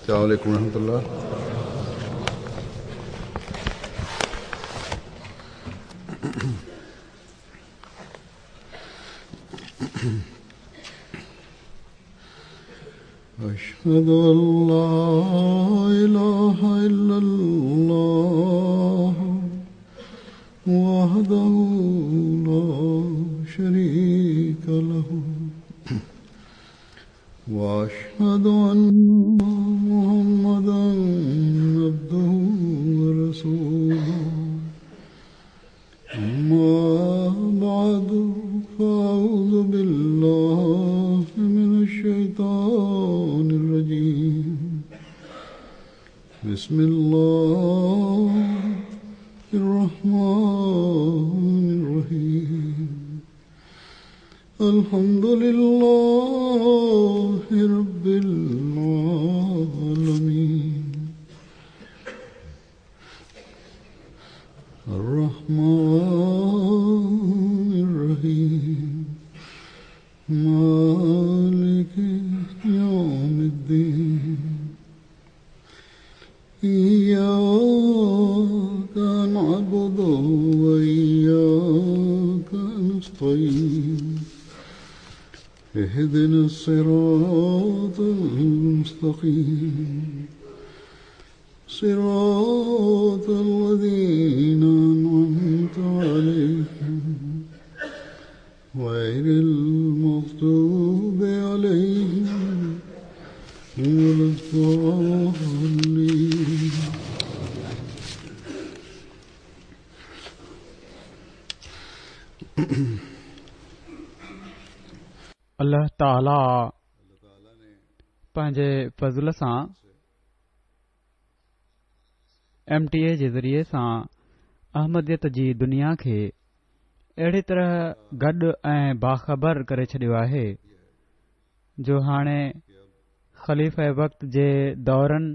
السلام عليڪم ورحمة الله. أشهد أن لا إله إلا الله وحده لا شريك له وأشهد أن محمدا عبده ورسوله أما بعد فأعوذ بالله من الشيطان الرجيم بسم الله الرحمن الرحيم الحمد لله رب العالمين الرحمن الرحيم مالك يوم الدين إياك نعبد وإياك نستعين اهدنا الصراط المستقيم صراط الذين أنعمت عليهم غير المغضوب عليهم ولا الضالين. الله تعاليٰ پنهنجي فضل سان ايم ٽي اي جي ذريعي سان احمديت جي دنيا کي اهڙي طرح گڏ ۽ باخبر ڪري ڇڏيو آهي جو هاڻي خليفه وقت جي دورن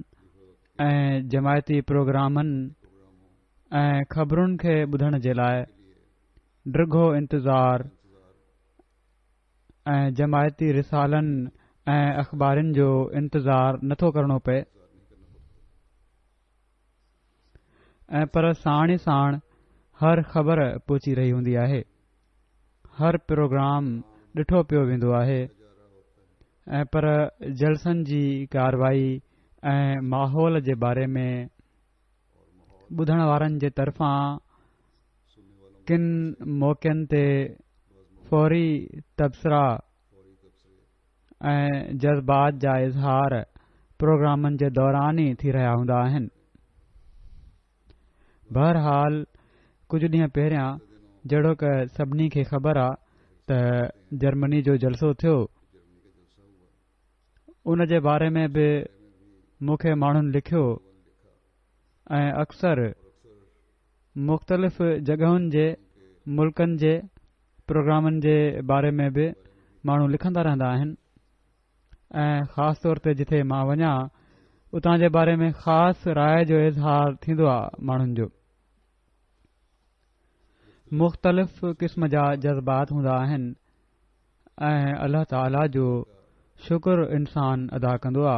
۽ جماعتي پروگرامن ۽ خبرن کي ٻڌڻ جي لاء ڊگهو انتظار ۽ جماعتي رسالن ۽ اخبارن جو انتظار نٿو ڪرڻو پئي ۽ پر ساڻ ئي ساڻ هر خبر پهچي رهي هوندي آهي، هر پروگرام ڏٺو پيو ويندو آهي ۽ پر جلسن جي ڪارروائي ۽ ماحول جي باري ۾ ٻڌڻ وارن جي طرفان ڪن موقعن تي فوري تبصرا ۽ جذبات جا اظهار پروگرامن جي دوران ئي ٿي رهيا هوندا آهن. بهرحال ڪجهه ڏينهن پهريان جهڙوڪ سڀني کي خبر آ ته جرمني جو جلسو ٿيو ان جي باري ۾ به مون کي ماڻهن لکيو ۽ اڪثر مختلف جڳهن جي ملڪن جي پروگرامن جي باري ۾ به ماڻهو لکندا رهندا آهن ۽ خاص طور تي جتي مان وڃان اتان جي باري ۾ خاص راء جو اظهار ٿيندو آهي ماڻهن جو مختلف قسم جا جذبات هوندا آهن ۽ الله تعاليٰ جو شڪر انسان ادا ڪندو آ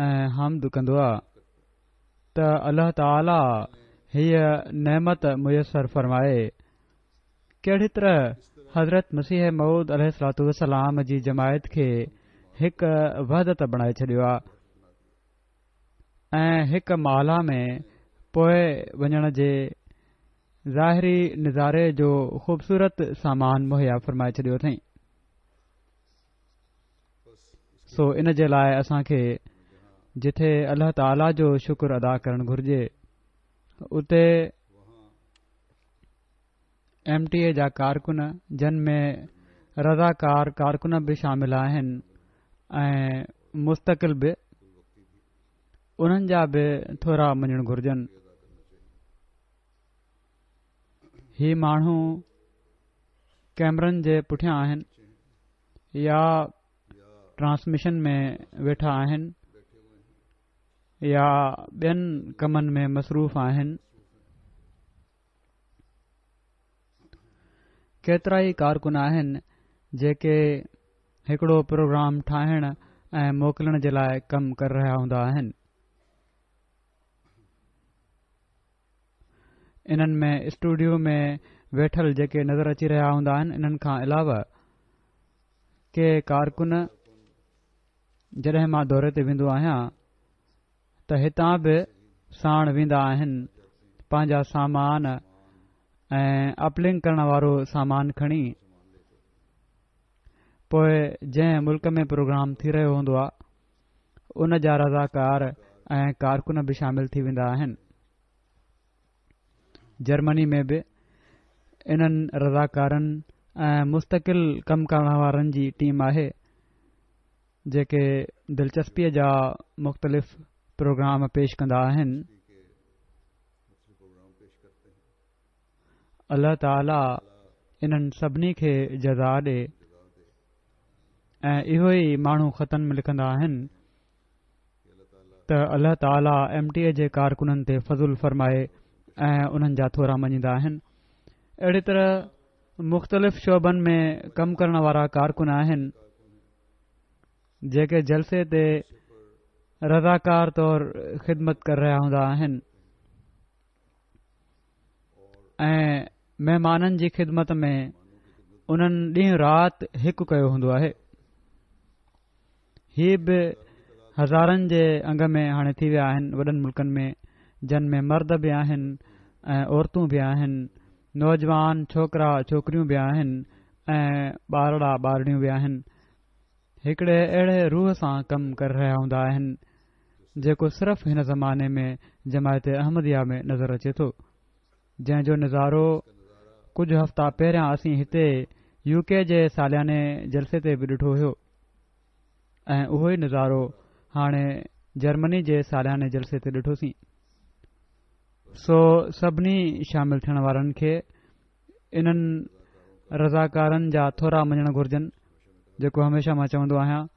۽ حمد ڪندو آ ته الله تعاليٰ هيء نعمت ميسر فرمائي. ڪهڙي طرح حضرت مسيح موعود عليه الصلوة والسلام جي جماعت کي هڪ وحدت بڻائي ڇڏيو آ ۽ هڪ مالا ۾ پوئي وڃڻ جي ظاهري نظاري جو خوبصورت سامان مهيا فرمائي ڇڏيو اٿئين. سو ان جي لاء اسان کي جٿي الله تعاليٰ جو شڪر ادا ڪرڻ گهرجي اتي ايم ٽي اي جا ڪارڪن جن ۾ رضاڪار ڪارڪن به شامل آهن ۽ مستقل به انهن جا به ٿورا مڃڻ گهرجن. هي ماڻهو ڪئميرن جي پٺيان آهن يا ٽرانسميشن ۾ ويٺا آهن يا ٻين ڪمن ۾ مصروف آهن. ڪيترائي ڪارڪن آهن جيڪي هڪڙو پروگرام ٺاهڻ ۽ موڪلڻ جي لاء ڪم ڪري رهيا هوندا آهن. انهن ۾ اسٽوڊيو ۾ ويٺل جيڪي نظر اچي رهيا هوندا آهن انهن کان علاوه ڪي ڪارڪن جڏهن مان دوري تي ويندو آهيان ته هتان به ساڻ ويندا آهن پنهنجا سامان ۽ اپلنڪ ڪرڻ وارو سامان کڻي پوء جنهن ملڪ ۾ پروگرام ٿي رهيو هوندو آهي ان جا رضاڪار ۽ ڪارڪن به شامل ٿي ويندا آهن جرمني ۾ به انهن رضاڪارن ۽ مستقل ڪم ڪرڻ وارن جي ٽيم آهي جيڪي دلچسپيء جا مختلف پروگرام پيش ڪندا آهن. الله تعالي انهن سڀني کي جزا ڏي ۽ اهو ئي ماڻهو خطن ۾ لکندا آهن ته الله تعالي ايم ٽي اي جي ڪارڪنن تي فضل فرمائي ۽ انهن جا ٿورا مڃيندا آهن. اهڙي طرح مختلف شعبن ۾ ڪم ڪرڻ وارا ڪارڪن آهن جيڪي جلسي تي رضاڪار طور خدمت ڪري رهيا هوندا آهن ۽ مهمانن جي خدمت ۾ انهن ڏينهن رات هڪ ڪيو هوندو آهي. هي به هزارن جي انگ ۾ هاڻي ٿي ويا آهن وڏن ملڪن ۾ جن ۾ مرد به آهن ۽ عورتون به آهن نوجوان ڇوڪرا ڇوڪريون به آهن ۽ ٻارڙا ٻارڙيون به آهن هڪڙي اهڙي روح سان ڪم ڪري رهيا هوندا آهن جيڪو صرف هن زماني ۾ جماعت احمديه ۾ نظر اچي ٿو جنهن جو نظارو ڪجهه هفتا پهريان اسين هتي يو ڪي جي سالياني جلسي تي به ڏٺو هيو ۽ اهو ئي نظارو هاڻي جرمني جي سالياني جلسي تي ڏٺوسين. سو سڀني شامل ٿيڻ وارن کي انهن رضاڪارن جا ٿورا مڃڻ گهرجن جيڪو هميشه مان چوندو آهيان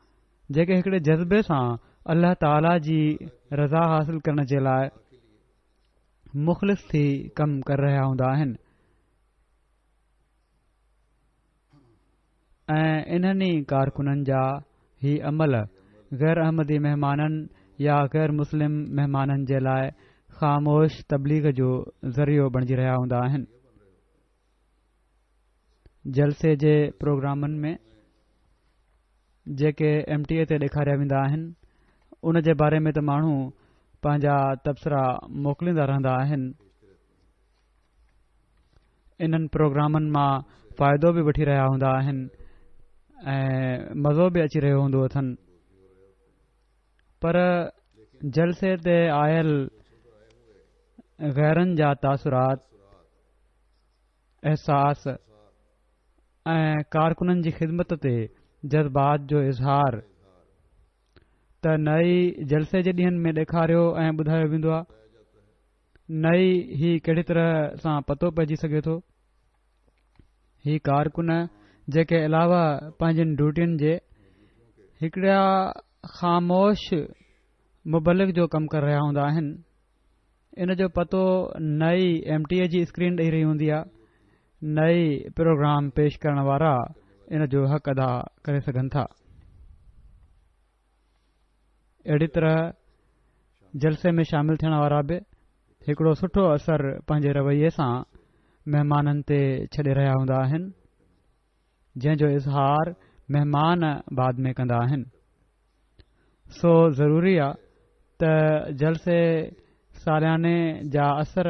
جيڪي هڪڙي جذبي سان الله تعاليٰ جي رضا حاصل ڪرڻ جي لاء مخلص ٿي ڪم ڪري رهيا هوندا آهن ۽ انهن ئي ڪارڪنن جا هي عمل غير احمدي مهمانن يا غير مسلم مهمانن جي لاء خاموش تبليغ جو ذريعو بڻجي رهيا هوندا آهن. جلسي جي پروگرامن ۾ جيڪي ايم ٽي اي تي ڏيکاريا ويندا آهن ان جي باري ۾ ته ماڻهو پنهنجا تبصرا موڪليندا رهندا آهن انهن پروگرامن مان فائدو به وٺي رهيا هوندا آهن ۽ مزو به اچي رهيو هوندو اٿن پر جلسي تي آيل غيرن جا تاثرات احساس ۽ ڪارڪنن جي خدمت تي جذبات جو اظهار ته نه ئي جلسي جي ڏينهن ۾ ڏيکاريو ۽ ٻڌايو ويندو آهي نه ئي هي ڪهڙي طرح سان پتو پئجي سگهي ٿو. هي ڪارڪن جيڪي علاوه پنهنجين ڊيوٽين جي هڪڙا خاموش مبلغ جو ڪم ڪري رهيا هوندا آهن ان جو پتو نه ئي ايم ٽي اي جي اسڪرين ڏئي رهي هوندي آهي نه ئي پروگرام پيش ڪرڻ وارا ان جو حق ادا ڪري سگهن ٿا. اهڙي طرح جلسي ۾ شامل ٿيڻ وارا به هڪڙو سٺو اثر پنهنجي رويي سان مهمانن تي ڇڏي رهيا هوندا آهن جنهن جو اظهار مهمان بعد ۾ ڪندا آهن. سو ضروري آ ته جلسي سالياني جا اثر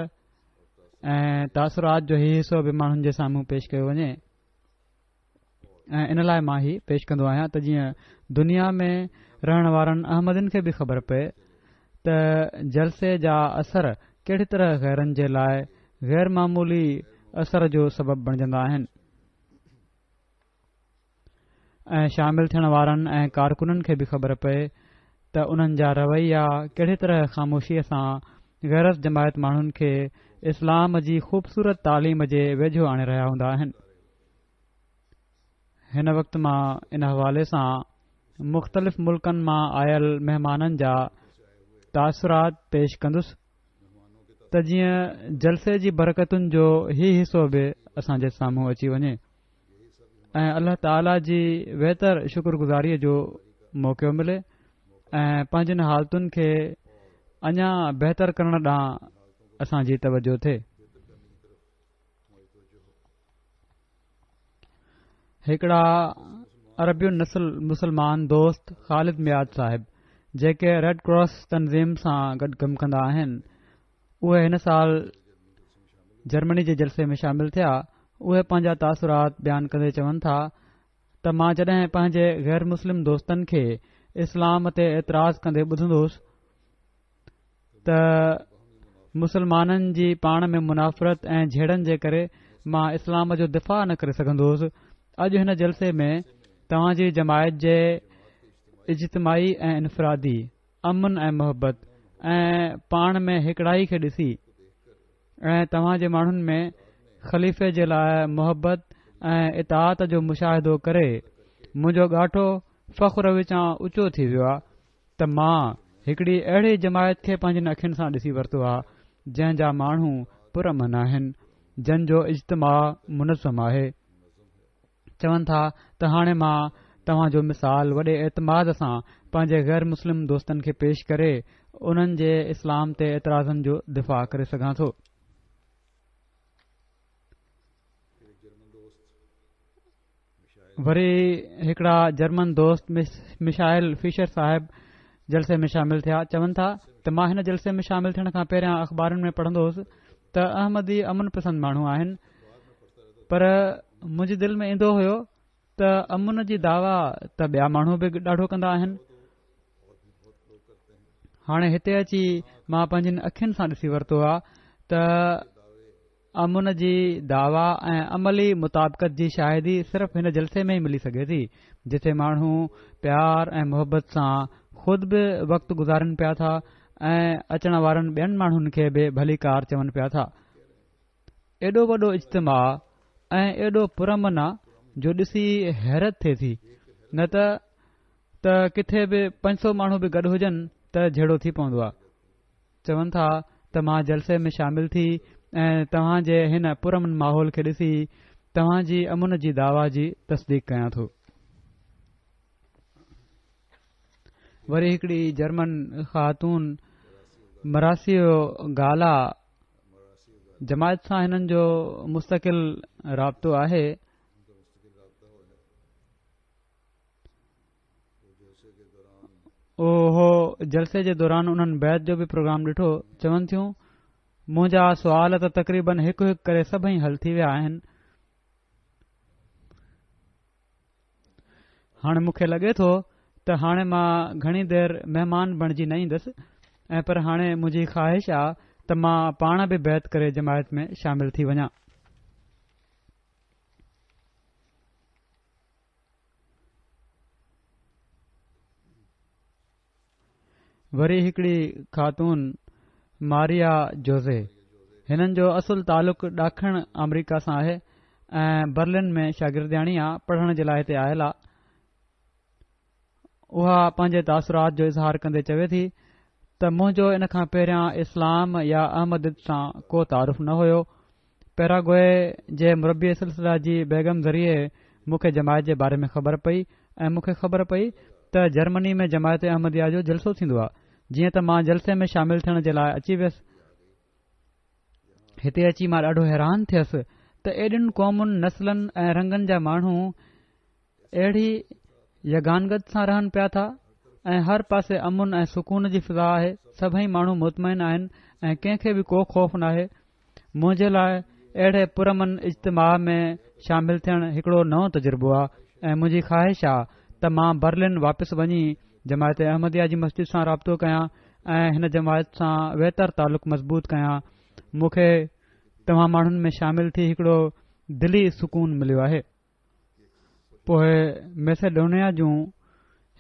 ۽ تاثرات جو هي حصو به ماڻهن جي سامهون پيش ڪيو وڃي ۽ ان لاء مان هي پيش ڪندو آهيان ته جيئن دنيا ۾ رهڻ وارن احمدين کي به خبر پئي ته جلسي جا اثر ڪهڙي طرح غيرن جي لاء غير معمولي اثر جو سبب بڻجندا آهن. ۽ شامل ٿيڻ وارن ۽ ڪارڪنن کي به خبر پئي ته انهن جا رويا ڪهڙي طرح خاموشيء سان غير از جماعت ماڻهن کي اسلام جي خوبصورت تعليم جي ويجهو آڻي رهيا هوندا آهن. هن وقت مان ان حوالي سان مختلف ملڪن مان آيل مهمانن جا تاثرات پيش ڪندس ته جيئن جلسي جي برڪتن جو هي حصو به اسان جي سامهون اچي وڃي. ۽ الله تعاليٰ جي ويتر شڪر گذاريء جو موقعو ملي ۽ پنهنجين حالتن کي اڃا بهتر ڪرڻ ڏانهن اسان جي توجه ٿئي. هڪڙا عربي النسل مسلمان دوست خالد ميعاد صاحب جيڪي ريڊ ڪراس تنظيم سان گڏ ڪم ڪندا آهن اهي هن سال جرمني جي جلسي ۾ شامل ٿيا اهي پنهنجا تاثرات بيان ڪندي چون ٿا ته مان جڏهن پنهنجي غير مسلم دوستن کي اسلام تي اعتراض ڪندي ٻڌندو هوس ته مسلمانن جي پاڻ ۾ منافرت ۽ جهيڙن جي ڪري مان اسلام جو دفاع نه ڪري سگهندو هوس. اڄ هن جلسي ۾ توهان جي جماعت جي اجتماعي ۽ انفرادي امن ۽ محبت ۽ پاڻ ۾ هڪڙائي کي ڏسي ۽ توهان جي ماڻهن ۾ خليفي جي لاء محبت ۽ اطاعت جو مشاهدو ڪري منهنجو ڳاٽو فخر وچان اوچو ٿي ويو آهي. ته مان هڪڙي اهڙي جماعت کي پنهنجين اکين سان ڏسي ورتو آ جنهن جا ماڻهو پرامن آهن، جن جو اجتماع منظم آهي. چون ٿا ته هاڻي مان توهان جو مثال وڏي اعتماد سان پنهنجي غير مسلم دوستن کي پيش ڪري انهن جي اسلام تي اعتراضن جو دفاع ڪري سگهان ٿو. وري هڪڙا جرمن دوست مشائل فشر صاحب جلسي ۾ شامل ٿيا چون ٿا ته مان هن جلسي ۾ شامل ٿيڻ کان پهريان اخبارن ۾ پڙهندو هوس ته احمدي امن پسند ماڻهو آهن پر منهنجي دل ۾ ايندو هيو ته امن جي دعويٰ ته ٻيا ماڻهو به ڏاڍو ڪندا آهن هاڻي هتي اچي مان پنهنجين اکين سان ڏسي ورتو آ ته امن جي دعويٰ ۽ عملي مطابقت جي شاهدي صرف هن جلسي ۾ ئي ملي سگهي ٿي، جتي ماڻهو پيار ۽ محبت سان خود به وقت گذارين پيا ٿا ۽ اچڻ وارن ٻين ماڻهن کي به ڀليڪار چون پيا ٿا. ايڏو وڏو اجتماع ۽ ايڏو پرامن آ جو ڏسي حيرت ٿئي ٿي، نه ته ته ڪٿي به 500 ماڻهو به گڏ هجن ته جهيڙو ٿي پوندو آ. چون ٿا ته مان جلسي ۾ شامل ٿي ۽ توهان جي هن پرامن ماحول کي ڏسي توهان جي امن جي دعويٰ جي تصديق ڪيان ٿو. وري هڪڙي جرمن خاتون مراسيو گالا جماعت سان هنن جو مستقل رابطو آهي. اهو جلسي جي دوران انهن بيعت جو به پروگرام ڏٺو چون ٿيون منهنجا سوال ته تقريبن هڪ هڪ ڪري سڀئي حل ٿي ويا آهن هاڻي مون کي لڳي ٿو ته هاڻي مان گهڻي دير مهمان بڻجي نه ايندس ۽ پر هاڻي منهنجي خواهش آ ته مان پاڻ به بيعت ڪري جماعت ۾ شامل ٿي وڃان. وري هڪڙي خاتون ماريا جوزي هنن جو اصل تعلق ڏاکڻ آمريڪا سان آهي ۽ برلن ۾ شاگردياڻي آ پڙهڻ جي لاء هتي آيل آ اها پنهنجي تاثرات جو اظهار ڪندي چوي ٿي ته منهنجو ان کان پهريان اسلام يا احمديت سان ڪو تعارف نه هيو پيراگوئي جي مربي سلسله جي بيگم ذريعي مون کي جماعت جي باري ۾ خبر پئي ۽ مون کي خبر پئي ته جرمني ۾ جماعت احمديه جو جلسو ٿيندو آهي جيئن ته مان جلسي ۾ شامل ٿيڻ جي لاء اچي ويس هتي اچي مان ڏاڍو حيران ٿيس ته ايڏين قومن نسلن ۽ رنگن جا ماڻهو اهڙي يگانگت سان رهن پيا ٿا ۽ هر پاسي امن ۽ سڪون جي فضا آهي سڀئي ماڻهو مطمئن آهن ۽ ڪنهن کي به ڪو خوف ناهي منهنجي لاء اهڙي پرامن اجتماع ۾ شامل ٿيڻ هڪڙو نئون تجربو آهي ۽ منهنجي خواهش آهي ته مان برلن واپس وڃي جماعت احمديه جي مسجد سان رابطو ڪيان ۽ هن جماعت سان ويتر تعلق مضبوط ڪيان مون کي توهان ماڻهن ۾ شامل ٿي هڪڙو دلي سڪون مليو آهي پوء ميسيڊونيا جون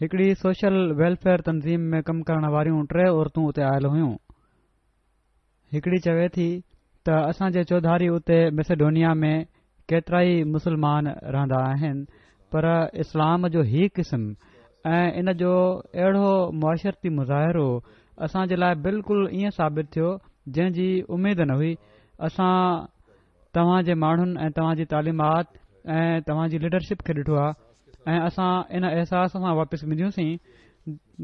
هڪڙي سوشل ويلفيئر تنظيم ۾ ڪم ڪرڻ واريون ٽي عورتون اتي آيل هيون. هڪڙي چوي ٿي ته اسان جي چوڌاري اتي ميسيڊونيا ۾ ڪيترائي مسلمان رهندا آهن پر اسلام جو هي قسم ۽ ان جو اهڙو معاشرتي مظاهرو اسان جي لاء بلڪل ائين ثابت ٿيو جنهن جي اميد نه هئي. اسان توهان جي ماڻهن ۽ توهان جي تعليمات ۽ توهان جي ليڊرشپ کي ڏٺو آهي. ۽ اسان ان احساس سان واپس وينديونسين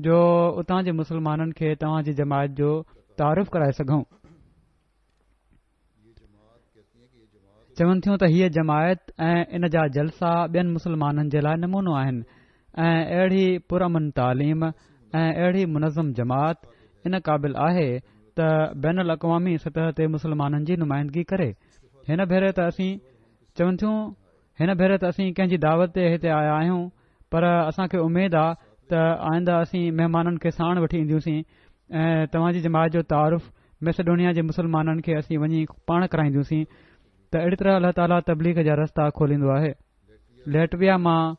جو اتان جي مسلمانن کي توهان جي جماعت جو تعارف ڪرائي سگهون. چون ٿيون ته هيء جماعت ۽ ان جا جلسا ٻين مسلمانن جي لاء نمونو آهن ۽ اهڙي پرامن تعليم ۽ اهڙي منظم جماعت ان قابل آهي ته بين الاقوامي سطح تي مسلمانن جي نمائندگي ڪري. هن ڀيري ته اسين چون ٿيون هن ڀيري ته اسين ڪنهن جي دعوت تي هتي آيا آهيون پر اسان کي اميد آ ته آئنده اسين مهمانن کي ساڻ وٺي اينديونسين ۽ توهان جي جماعت جو تعارف ميسيڊونيا جي مسلمانن کي اسين وڃي پاڻ ڪرائينديونسين ته اهڙي طرح الله تعاليٰ تبليغ جا رستا کوليندو آهي. ليٽويا مان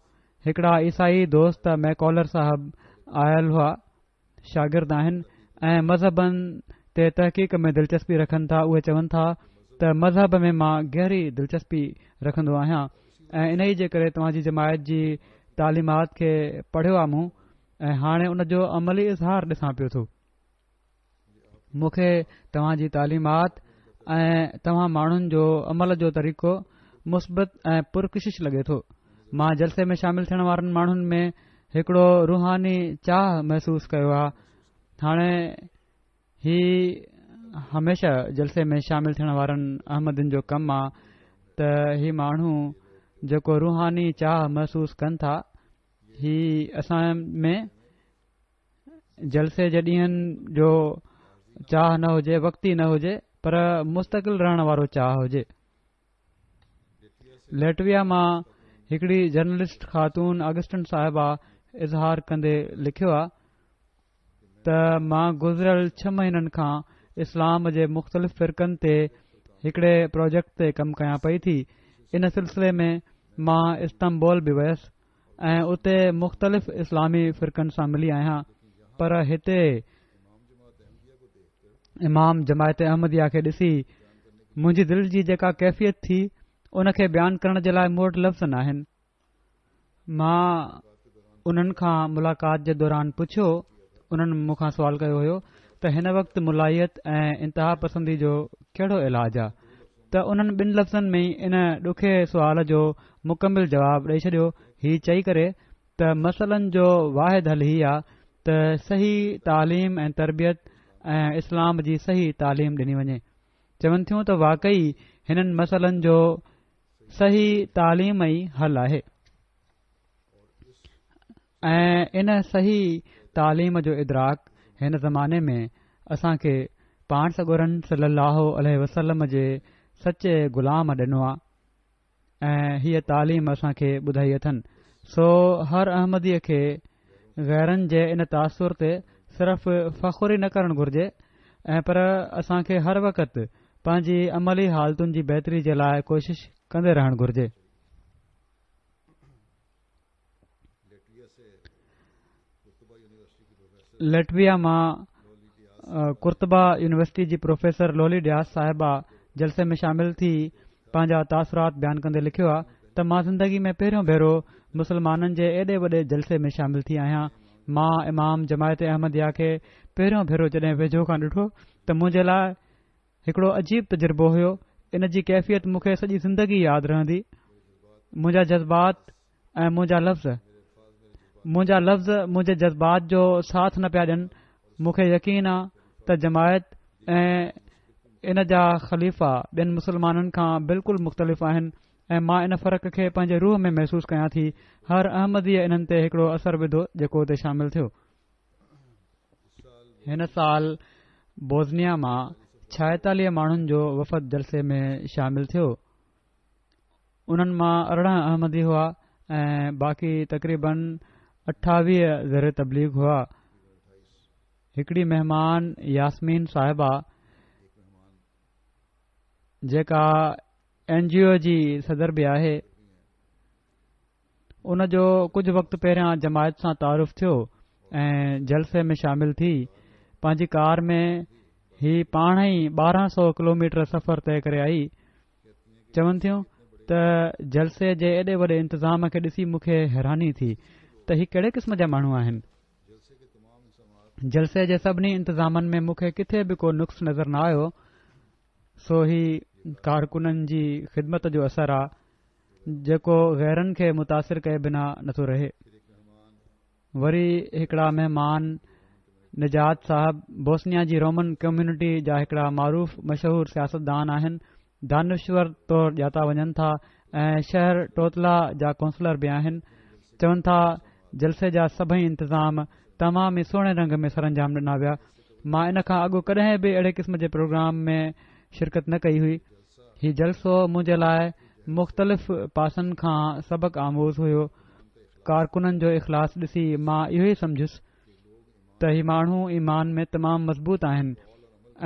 هڪڙا عيسائي دوست ميڪولر صاحب آيل هئا. شاگرد آهن ۽ مذهبن تي تحقيق ۾ دلچسپي رکن ٿا اهي چون ٿا ته مذهب ۾ مان گهري دلچسپي رکندو آهيان ۽ انهي جي ڪري توهان جي جماعت جي تعليمات کي پڙهيو آ مون ۽ هاڻي ان جو عملي اظهار ڏسان پيو ٿو مون کي توهان جي تعليمات ۽ توهان ماڻهن جو عمل جو طريقو مثبت ۽ پرڪشش لڳي ٿو. مان جلسي ۾ شامل ٿيڻ وارن ماڻهن ۾ هڪڙو روحاني چاهه محسوس ڪيو آهي. هاڻي هي هميشه جلسي ۾ شامل ٿيڻ وارن احمدين جو ڪم آ ته هي ماڻهو جيڪو روحاني چاهه محسوس ڪن ٿا هي اسان ۾ جلسي جي ڏينهن جو چاهه نه هجي وقتي نه هجي پر مستقل رهڻ وارو چاهه هجي. ليٽويا مان هڪڙي جرنلسٽ خاتون آگسٽن صاحبه اظهار ڪندي لکيو آ ته مان گذريل ڇهه مهينن کان اسلام جي مختلف فرقن تي هڪڙي پروجيڪٽ تي ڪم ڪيان پئي ٿي ان سلسلي ۾ مان استنبول به ويس ۽ اتي مختلف اسلامي فرقن سان ملي آهيان پر هتي امام جماعت احمديه کي ڏسي منهنجي دل جي جيڪا ڪيفيت ٿي ان کي بيان ڪرڻ جي لاء مون وٽ لفظ ناهن مان انهن کان ملاقات جي دوران پڇيو انهن مون کان سوال ڪيو هيو ته هن وقت ملائيت ۽ انتها پسندي جو ڪهڙو علاج آ ته انهن ٻن لفظن ۾ ئي ان ڏکي سوال جو مڪمل جواب ڏئي ڇڏيو هي چئي ڪري ته مسئلن جو واحد حل هي آ ته صحيح تعليم ۽ تربيت ۽ اسلام جي صحيح تعليم ڏني وڃي. چون ٿيون ته واقعي هنن مسئلن جو صحيح تعليم ئي حل آهي. ۽ ان صحيح تعليم جو ادراڪ هن زماني ۾ اسان کي پاڻ سڳورن صلي الله عليه وسلم جي سچي غلام ڏنو آ ۽ هيء تعليم اسان کي ٻڌائي اٿن سو هر احمديء کي غيرن جي ان تاثر تي صرف فخر ئي نه ڪرڻ گهرجي ۽ پر اسان کي هر وقت پنهنجي عملي حالتن جي بهتري جي لاء ڪوشش ڪندي رهڻ گهرجي. ليٽويا مان قرطبه يونيورسٽي جي پروفيسر لولي ڊياس صاحبه جلسي ۾ شامل ٿي پنهنجا تاثرات بيان ڪندي لکيو آهي ته مان زندگي ۾ پهريون ڀيرو مسلمانن جي ايڏي وڏي جلسي ۾ شامل ٿي آهيان مان امام جماعت احمديه کي پهريون ڀيرو جڏهن ويجهو کان ڏٺو ته منهنجي لاء هڪڙو عجيب تجربو هيو ان جي ڪيفيت مون کي سڄي زندگي ياد رهندي منهنجا جذبات ۽ منهنجا لفظ منهنجا لفظ منهنجي جذبات جو ساٿ نه پيا ڏين مون کي يقين آ ته جماعت ۽ ان جا خليفا ٻين مسلمانن کان بلڪل مختلف آهن ۽ مان ان فرق کي پنهنجي روح ۾ محسوس ڪيان ٿي هر احمديء انهن تي هڪڙو اثر وڌو جيڪو اتي شامل ٿيو هن سال بوزنيا مان 46 ماڻهن جو وفد جلسي ۾ شامل ٿيو. انهن مان 18 احمدي هئا ۽ باقي تقريبن 28 زير تبليغ هئا. هڪڙي مهمان ياسمين صاحبه جيڪا اين جي او جي صدر به آهي، ان جو ڪجهه وقت پهريان جماعت سان تعارف ٿيو ۽ جلسي ۾ شامل ٿي پنهنجي ڪار ۾ هي پاڻ ئي 1200 ڪلوميٽر سفر طئي ڪري آئي. چون ٿيون ته جلسي جي ايڏي وڏي انتظام کي ڏسي مون کي حيراني ٿي ته هي ڪهڙي قسم جا ماڻهو آهن. جلسي جي سڀني انتظامن ۾ مون کي ڪٿي به ڪو نقص نظر نه آيو سو هي ڪارڪنن جي خدمت جو اثر آ. جيڪو غيرن کي متاثر ڪئي بنا نٿو رهي. وري هڪڙا مهمان نجات صاحب بوسنيا جي رومن ڪميونٽي جا هڪڙا معروف مشهور سياستدان آهن، دانشور طور ڄاتا وڃن ٿا ۽ شهر ٽوتلا جا ڪونسلر به آهن. چون ٿا جلسي جا سڀئي انتظام تمام ئي سهڻي رنگ ۾ سرانجام ڏنا ويا. مان ان کان اڳ ڪڏهن به اهڙي قسم جي پروگرام ۾ شرڪت نه ڪئي هئي. هي جلسو منهنجي لاء مختلف پاسن کان سبق آموز هيو. ڪارڪنن جو اخلاص ڏسي مان اهو ئي سمجهيس ته هي ماڻهو ايمان ۾ تمام مضبوط آهن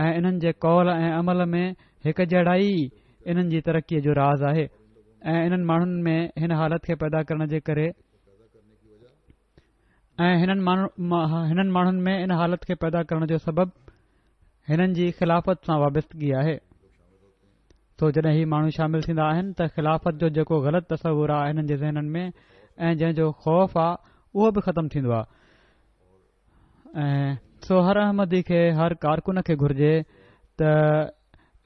۽ انهن جي قول ۽ عمل ۾ هڪ جهڙائي ئي انهن جي ترقيء جو راز آهي ۽ انهن ماڻهن ۾ هن حالت کي پيدا ڪرڻ جي ڪري ۽ هنن هنن ماڻهن ۾ ان حالت کي پيدا ڪرڻ جو سبب هنن جي خلافت سان وابستگي آهي. سو جڏهن هي ماڻهو شامل ٿيندا آهن ته خلافت جو جيڪو غلط تصور آهي هنن جي ذهنن ۾ ۽ جنهن جو خوف آهي اهو به ختم ٿيندو آهي ۽ سو هر احمدي کي هر ڪارڪن کي گهرجي ته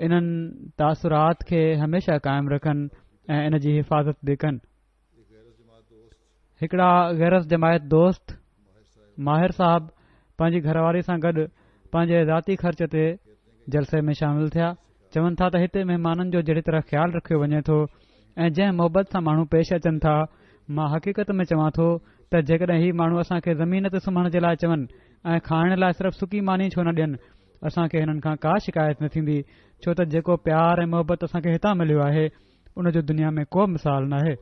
انهن تاثرات کي هميشه قائم رکن ۽ ان جي حفاظت به ڪن. هڪڙا غير از جماعت دوست ماهر صاحب پنهنجي گهر واري سان گڏ پنهنجي ذاتي خرچ تي جلسي ۾ شامل ٿيا. چون ٿا ته هتي مهمانن جو جهڙي طرح خيال رکيو وڃي ٿو ۽ جنهن محبت سان ماڻهو پيش اچن ٿا، مان حقيقت ۾ چوان ٿو ته جيڪڏهن هي ماڻهو اسان کي زمين تي سمهڻ جي لاء چون ۽ کائڻ لاء صرف سڪي ماني ڇو نه ڏين، اسان کي هنن کان ڪا شڪايت نه ٿيندي، ڇو ته جيڪو پيار ۽ محبت اسان کي هتان مليو آهي، ان جو دنيا ۾ ڪو مثال ناهي.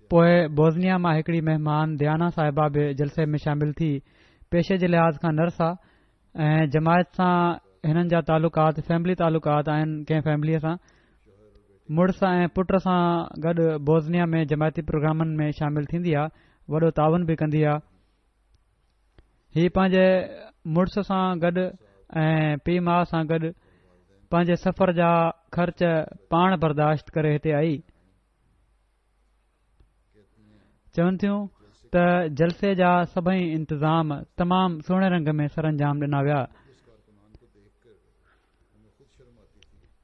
پوء بوزنيا مان هڪڙي مهمان ديانا صاحبه به جلسي ۾ شامل ٿي. پيشي جي لحاظ کان نرس آ ۽ جماعت سان هنن جا تعلقات فيملي تعلقات آهن ڪنهن فيمليء سان. مڙس ۽ پٽ سان گڏ بوزنيا ۾ جماعتي پروگرامن ۾ شامل ٿيندي آ، وڏو تعاون به ڪندي آ. هي پنهنجي مڙس سان گڏ ۽ پيء ماء سان گڏ پنهنجي سفر جا خرچ پاڻ برداشت ڪري هتي آئي. چون ٿيون ته جلسي جا سڀئي انتظام تمام سهڻي رنگ ۾ سرانجام ڏنا ويا.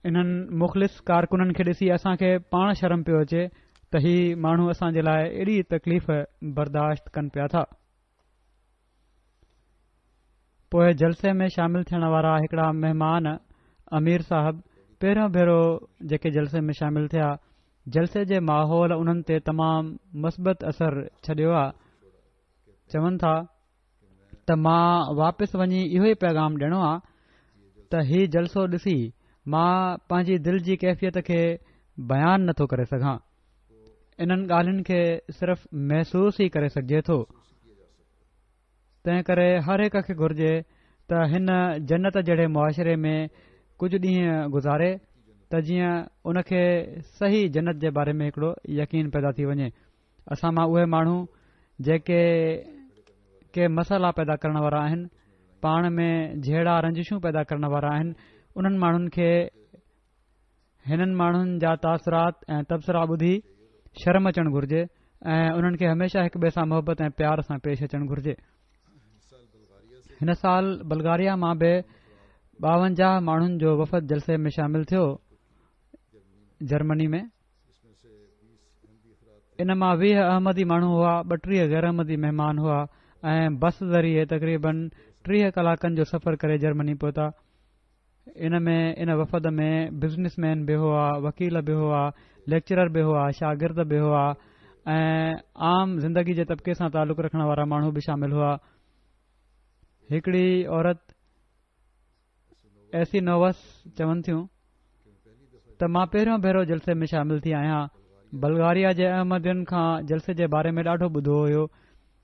انهن مخلص ڪارڪنن کي ڏسي اسان کي پاڻ شرم پيو اچي ته هي ماڻهو اسان جي لاء ايڏي تڪليف برداشت ڪن پيا ٿا. پوء جلسي ۾ شامل ٿيڻ وارا هڪڙا مهمان امير صاحب پهريون ڀيرو جيڪي جلسي ۾ شامل ٿيا، جلسي جي ماحول انهن تي تمام مثبت اثر ڇڏيو آ. چون ٿا. ته مان واپس وڃي اهو ئي پيغام ڏيڻو آ ته هي جلسو ڏسي مان پنهنجي دل جي ڪيفيت کي بيان نٿو ڪري سگهان. انهن ڳالهين کي صرف محسوس ئي ڪري سگهجي ٿو. تنهن ڪري هر هڪ کي گهرجي ته هن جنت جهڙي معاشري ۾ ڪجهه ڏينهن گذاري ته جيئن ان کي صحيح جنت جي باري ۾ هڪڙو يقين پيدا ٿي وڃي. اسان مان اهي ماڻهو جيڪي ڪي مسئلا پيدا ڪرڻ وارا آهن، پاڻ ۾ جهيڙا رنجشون پيدا ڪرڻ وارا آهن، انهن ماڻهن کي هنن ماڻهن جا تاثرات ۽ تبصرا ٻڌي شرم اچڻ گهرجي ۽ انهن کي هميشه هڪ ٻئي سان محبت ۽ پيار سان پيش اچڻ گهرجي. هن سال بلغاريا مان به 52 ماڻهن جو وفد جلسي ۾ شامل ٿيو. جرمني ۾ ان مان 20 احمدي ماڻهو هئا، 32 غير احمدي مهمان هئا ۽ بس ذريعي تقريبن 30 ڪلاڪن جو سفر ڪري جرمني پهتا. ان ۾ ان وفد ۾ بزنس مين به هئا، وڪيل به هئا، ليڪچرر به هئا، شاگرد به هئا ۽ عام زندگي جي طبقي سان تعلق رکڻ وارا ماڻهو به شامل هئا. هڪڙي عورت ايسي نووس چون ٿيون ته مان پهريون ڀيرو جلسي ۾ شامل ٿي آهيان بلغاريا جي احمدين کان جلسي جي باري ۾ ڏاڍو ٻڌو هيو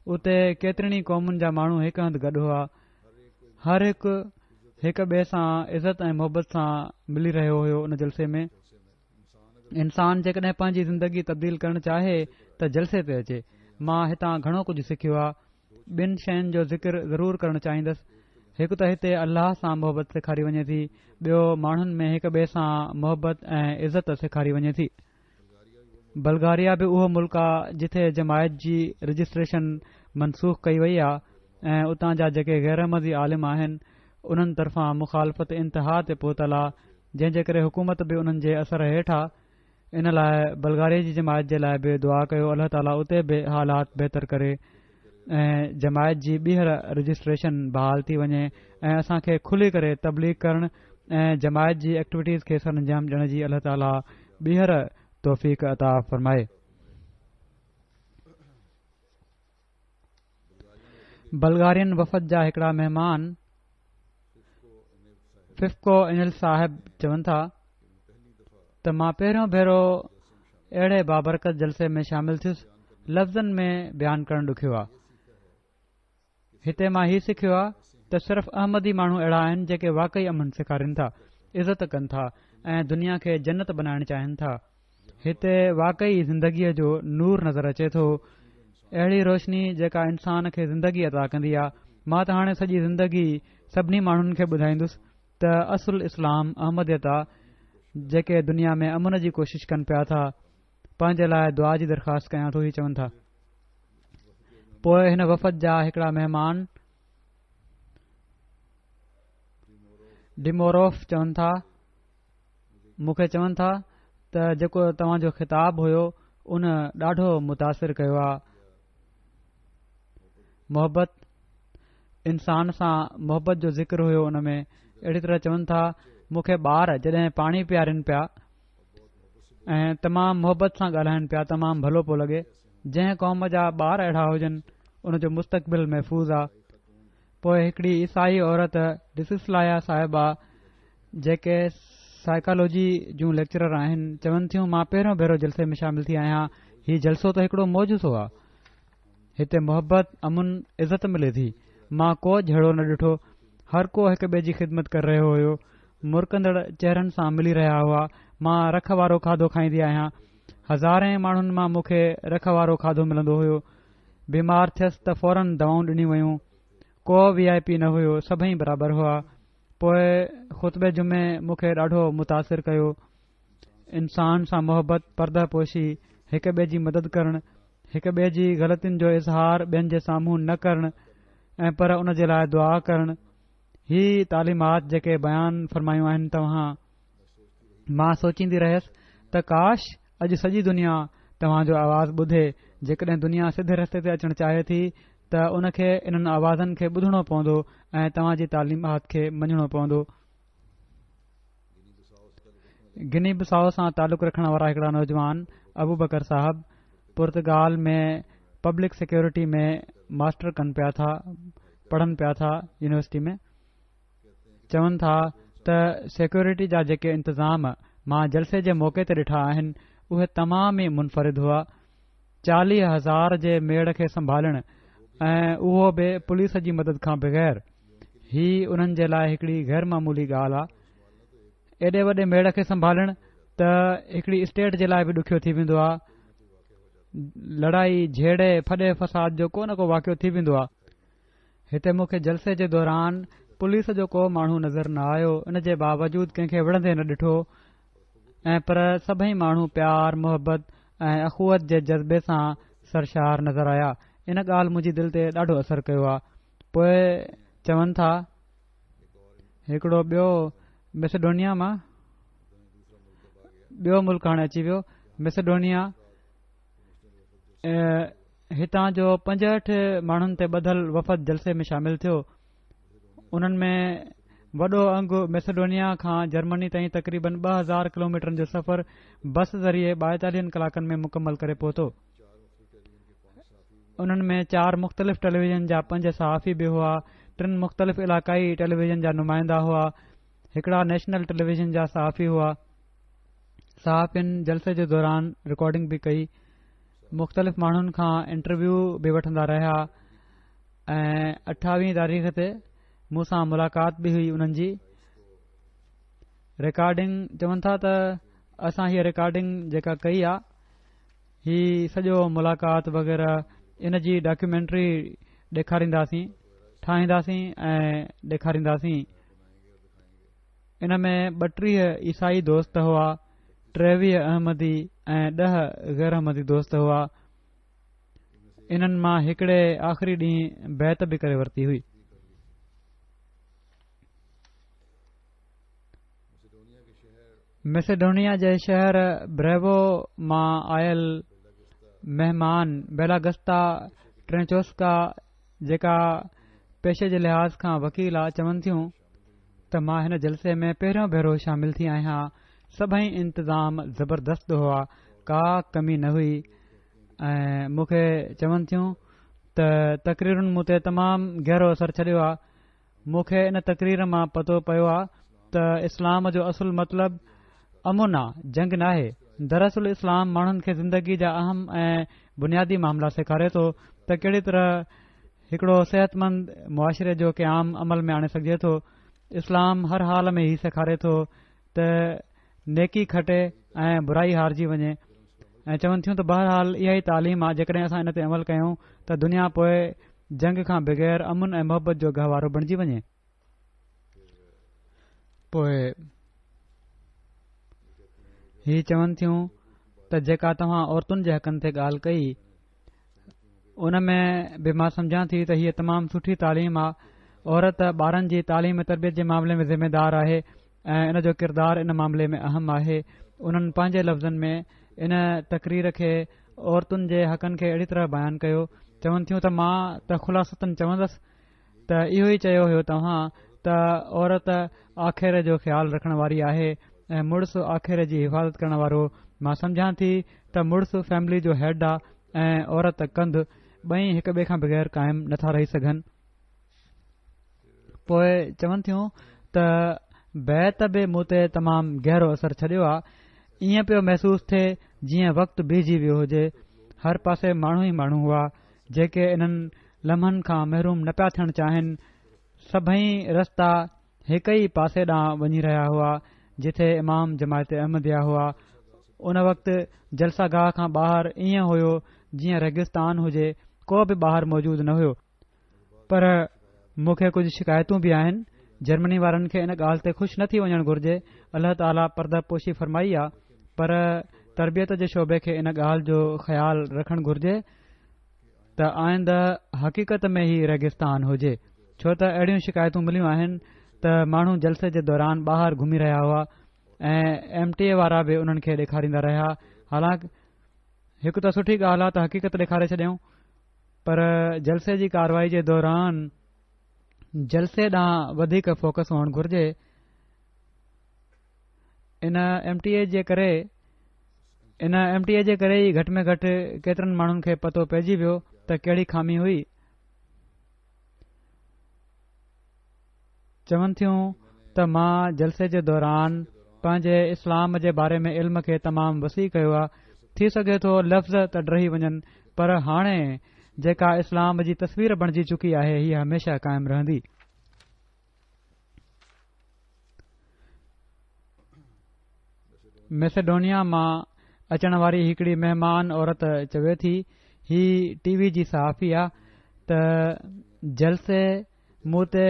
اتي ڪيترين ئي قومن جا ماڻهو هڪ هنڌ گڏ هئا هر هڪ هڪ ٻئي سان عزت ۽ محبت سان ملي رهيو هيو ان جلسي ۾ انسان جيڪڏهن پنهنجي زندگي تبديل ڪرڻ چاهي ته جلسي تي اچي مان هتان گهڻو ڪجهه سکيو آهي ٻن شين جو ذڪر ضرور ڪرڻ چاهيندس، هڪ ته هتي الله سان محبت سيکاري وڃي ٿي، ٻيو ماڻهن ۾ هڪ ٻئي سان محبت ۽ عزت سيکاري وڃي ٿي. بلغاريا به اهو ملڪ آ جتي جماعت جي رجسٽريشن منسوخ ڪئي وئي آ ۽ اتان جا جيڪي غيراحمدي عالم آهن انهن طرفان مخالفت انتها تي پهتل آ جنهن جي ڪري حڪومت به انهن جي اثر هيٺ آ. ان لاء بلغاريه جي جماعت جي لاء به دعا ڪيو الله تعالي اتي به حالات بهتر ڪري ۽ جماعت جي ٻيهر رجسٽريشن بحال ٿي وڃي ۽ اسان کي کلي ڪري تبليغ ڪرڻ ۽ جماعت جي ايڪٽيوٽيز کي سرانجام ڏيڻ جي الله تعالي ٻيهر توفيق عطا فرمائي. بلغارين وفد جا هڪڙا مهمان ففڪو انيل صاحب چون ٿا ته مان پهريون ڀيرو اهڙي بابرڪت جلسي ۾ شامل ٿيس لفظن ۾ بيان ڪرڻ ڏکيو آهي هتي مان هي سکيو آهي ته صرف احمدي ماڻهو اهڙا آهن جيڪي واقعي امن سيکارين ٿا عزت ڪن ٿا ۽ دنيا کي جنت بنائڻ چاهين ٿا هتي واقعي زندگيء جو نور نظر اچي ٿو. اهڙي روشني جيڪا انسان کي زندگي عطا ڪندي آ. مان ته هاڻي سڄي زندگي سڀني ماڻهن کي ٻڌائيندس ته اصل اسلام احمديت آ جيڪي دنيا ۾ امن جي ڪوشش ڪن پيا ٿا. پنهنجي لاء دعا جي درخواست ڪيان ٿو هي چون ٿا. پوء هن وفد جا هڪڙا مهمان ڊيموروف چون ٿا. مون کي چون ٿا ته جيڪو توهان جو خطاب هيو ان ڏاڍو متاثر ڪيو آ محبت انسان سان محبت جو ذڪر هيو ان ۾ اهڙي طرح چون ٿا مون کي ٻار جڏهن پاڻي پيارين پيا ۽ تمام محبت سان ڳالهائن پيا تمام ڀلو پيو لڳي جنهن قوم جا ٻار اهڙا هجن ان جو مستقبل محفوظ آ پوء هڪڙي عيسائي عورت ڊسسلايا صاحبه جيڪي سائيڪالوجي جون ليڪچرر آهن چون ٿيون مان پهريون ڀيرو جلسي ۾ شامل ٿي آهيان هي جلسو ته هڪڙو معجزو آ هتي محبت امن عزت ملي ٿي مان ڪو جهيڙو نه ڏٺو هر ڪو هڪ ٻئي جي خدمت ڪري رهيو هيو مرڪندڙ چهرن سان ملي رهيا هئا مان رک وارو کاڌو کائيندي آهيان هزارين ماڻهن مان مون کي رک وارو کاڌو ملندو هيو بيمار ٿيس ته فورن دوائون ڏنيون ويون. ڪو وي آء پي نه هيو، سڀئي برابر هئا. پوء خطبي جمعي مون کي ڏاڍو متاثر ڪيو. انسان سان محبت، پرده پوشي، هڪ ٻئي جي مدد ڪرڻ، هڪ ٻئي جي غلطين جو اظهار ٻين جي سامهون نه ڪرڻ ۽ پر ان جي لاء دعا ڪرڻ، هي تعليمات جيڪي بيان فرمايون آهن توهان، مان سوچيندي رهيس ته ڪاش اڄ سڄي دنيا توهان جو آواز ٻڌي، جيڪڏهن دنيا سڌي رستي تي اچڻ چاهي ٿي ته ان کي انهن آوازن کي ٻڌڻو پوندو ۽ توهان جي تعليمات کي مڃڻو پوندو. گني بساؤ سان تعلق رکڻ وارا هڪڙا نوجوان ابوبڪر صاحب پرتگال ۾ پبلڪ سيڪيورٽي ۾ ماسٽر ڪن پيا ٿا پڙهن پيا ٿا يونيورسٽي ۾. چون ٿا ته سيڪيورٽي جا جيڪي انتظام مان جلسي جي موقعي تي ڏٺا آهن اهي تمام ئي منفرد هئا. 40,000 جي ميڙ کي سنڀالڻ ۽ اهو به پوليس جي مدد کان بغير هي انهن جي لاء هڪڙي غير معمولي ڳالهه آ. ايڏي وڏي ميڙ کي سنڀالڻ ته هڪڙي اسٽيٽ جي لاء به ڏکيو ٿي ويندو آ. لڙائي جهيڙي ڦڏي فساد جو ڪو نه ڪو واقعو ٿي ويندو آ. هتي مون کي جلسي جي دوران پوليس جو ڪو ماڻهو نظر نه آيو ان جي باوجود ڪنهن کي وڙهندي نه ڏٺو ۽ پر سڀئي ماڻهو پيار محبت ۽ اخوت جي جذبي سان سرشار نظر آيا ان ڳالهه منهنجي دل تي ڏاڍو اثر ڪيو آ پوء چون ٿا هڪڙو ٻيو ميسيڊونيا مان ٻيو ملڪ هاڻي اچي ويو ميسيڊونيا هتان جو 65 ماڻهن تي ٻڌل وفد جلسي ۾ شامل ٿيو انهن ۾ وڏو انگ ميسيڊونيا کان جرمني تائين تقريبن 2000 ڪلوميٽرن جو سفر بس ذريعي 42 ڪلاڪن ۾ مڪمل ڪري پهتو انهن ۾ چار مختلف ٽيليويزن جا پنج صحافي به هئا ٽن مختلف علاقائي ٽيليويزن جا نمائندا هئا هڪڙا نيشنل ٽيليويزن جا صحافي هئا صحافين جلسي جي دوران رڪارڊنگ به ڪئي مختلف ماڻهن کان انٽرويو به وٺندا رهيا ۽ 28 تاريخ تي مون سان ملاقات به هئي انهن جي رڪارڊنگ چون ٿا ته اسان هيء رڪارڊنگ جيڪا ڪئي آ هي سڄو ملاقات وغيره ان جي ڊاڪيومينٽري ڏيکارينداسين ٺاهينداسين ۽ ڏيکارينداسين ان ۾ 32 عيسائي دوست هئا، 23 احمدي ۽ 10 غير احمدي دوست هئا. انهن مان هڪڙي آخري ڏينهن بيعت به ڪري ورتي هئي. ميسيڊونيا جي شهر بريوو مان آيل مهمان بيلاگستا ٽرينچوسڪا جيڪا پيشي جي لحاظ کان وڪيل آ چون ٿيون ته مان هن جلسي ۾ پهريون ڀيرو شامل ٿي آهيان سڀئي انتظام زبردست هئا ڪا ڪمي نه هئي ۽ مون کي چون ٿيون ته تقريرن مون تي تمام گهرو اثر ڇڏيو آ مون کي ان تقرير مان پتو پيو آ ته اسلام جو اصل مطلب امن آ، جنگ ناهي. دراصل اسلام ماڻهن کي زندگي جا اهم ۽ بنيادي معاملا سيکاري ٿو ته ڪهڙي طرح هڪڙو صحتمند معاشري جو قيام عمل ۾ آڻي سگهجي ٿو. اسلام هر حال ۾ هي سيکاري ٿو ته نيڪي کٽي ۽ برائي هارجي وڃي ۽ چون ٿيون ته بهرحال اها ئي تعليم آ جيڪڏهن اسان ان تي عمل ڪيون ته دنيا پوء جنگ کان بغير امن ۽ محبت جو گهوارو بڻجي وڃي. پوء هي چون ٿيون ته جيڪا توهان عورتن جي حقن تي ڳالهه ڪئي ان ۾ به مان سمجهان ٿي ته هيء تمام سٺي تعليم آ عورت ٻارن جي تعليم ۽ تربيت جي معاملي ۾ ذميدار آهي ۽ ان جو ڪردار ان معاملي ۾ اهم آهي انهن پنهنجي لفظن ۾ ان تقرير کي عورتن جي حقن کي اهڙي طرح بيان ڪيو چون ٿيون ته مان ته خلاصتاً چوندس ته اهو ئي چيو هيو توهان ته عورت آکيري جو خيال رکڻ واري آهي ۽ مڙس آکيري جي حفاظت ڪرڻ وارو مان سمجهان ٿي ته مڙس فيملي جو هيڊ آ ۽ عورت ڪنڌ ٻئي هڪ ٻئي کان بغير قائم نٿا رهي سگهن پوء چون ٿيون ته بيعت به مون تي تمام گهرو اثر ڇڏيو آ ائين پيو محسوس ٿئي جيئن وقت بيهجي ويو هجي هر پاسي ماڻهو ئي ماڻهو هئا جيڪي انهن لمحن کان محروم نه پيا ٿيڻ چاهين، سڀئي رستا هڪ ئي پاسي ڏانهن وڃي رهيا هئا، جتي امام جماعت احمديه هئا. ان وقت جلسه گاهه کان ٻاهر ائين هيو جيئن ريگستان هجي، ڪو به ٻاهر موجود نه هيو. پر مون کي ڪجهه شڪايتون به آهن، جرمني وارن کي ان ڳالهه تي خوش نه ٿي وڃڻ گهرجي، الله تعاليٰ پرده پوشي فرمائي آ، پر تربيت جي شعبي کي ان ڳالهه جو خيال رکڻ گهرجي ته آئنده حقيقت ۾ هي ريگستان هجي ڇو ته اهڙيون شڪايتون مليون آهن ته ماڻهو جلسي جي دوران ٻاهر گهمي رهيا هئا ۽ ايم ٽي اي وارا به انهن کي ڏيکاريندا رهيا حالانڪ هڪ ته سٺي ڳالهه آهي ته حقيقت ڏيکاري ڇڏيائون پر جلسي جي ڪارروائي جي دوران جلسي ڏانهن وڌيڪ فوڪس هئڻ گهرجي ان ايم ٽي اي جي ڪري ان ايم ٽي اي جي ڪري ئي گهٽ ۾ گهٽ ڪيترن ماڻهن کي پتو پئجي ويو ته ڪهڙي خامي هئي چون ٿيون ته مان جلسي جي دوران پنهنجي اسلام جي باري ۾ علم کي تمام وسيع ڪيو آهي ٿي سگهي ٿو لفظ ته ڊهي وڃن پر هاڻي جيڪا اسلام جي تصوير بڻجي چڪي آهي هيء هميشه قائم رهندي. ميسيڊونيا مان اچڻ واري هڪڙي مهمان عورت چوي ٿي، هي ٽي وي جي صحافي آ، ته جلسي مون تي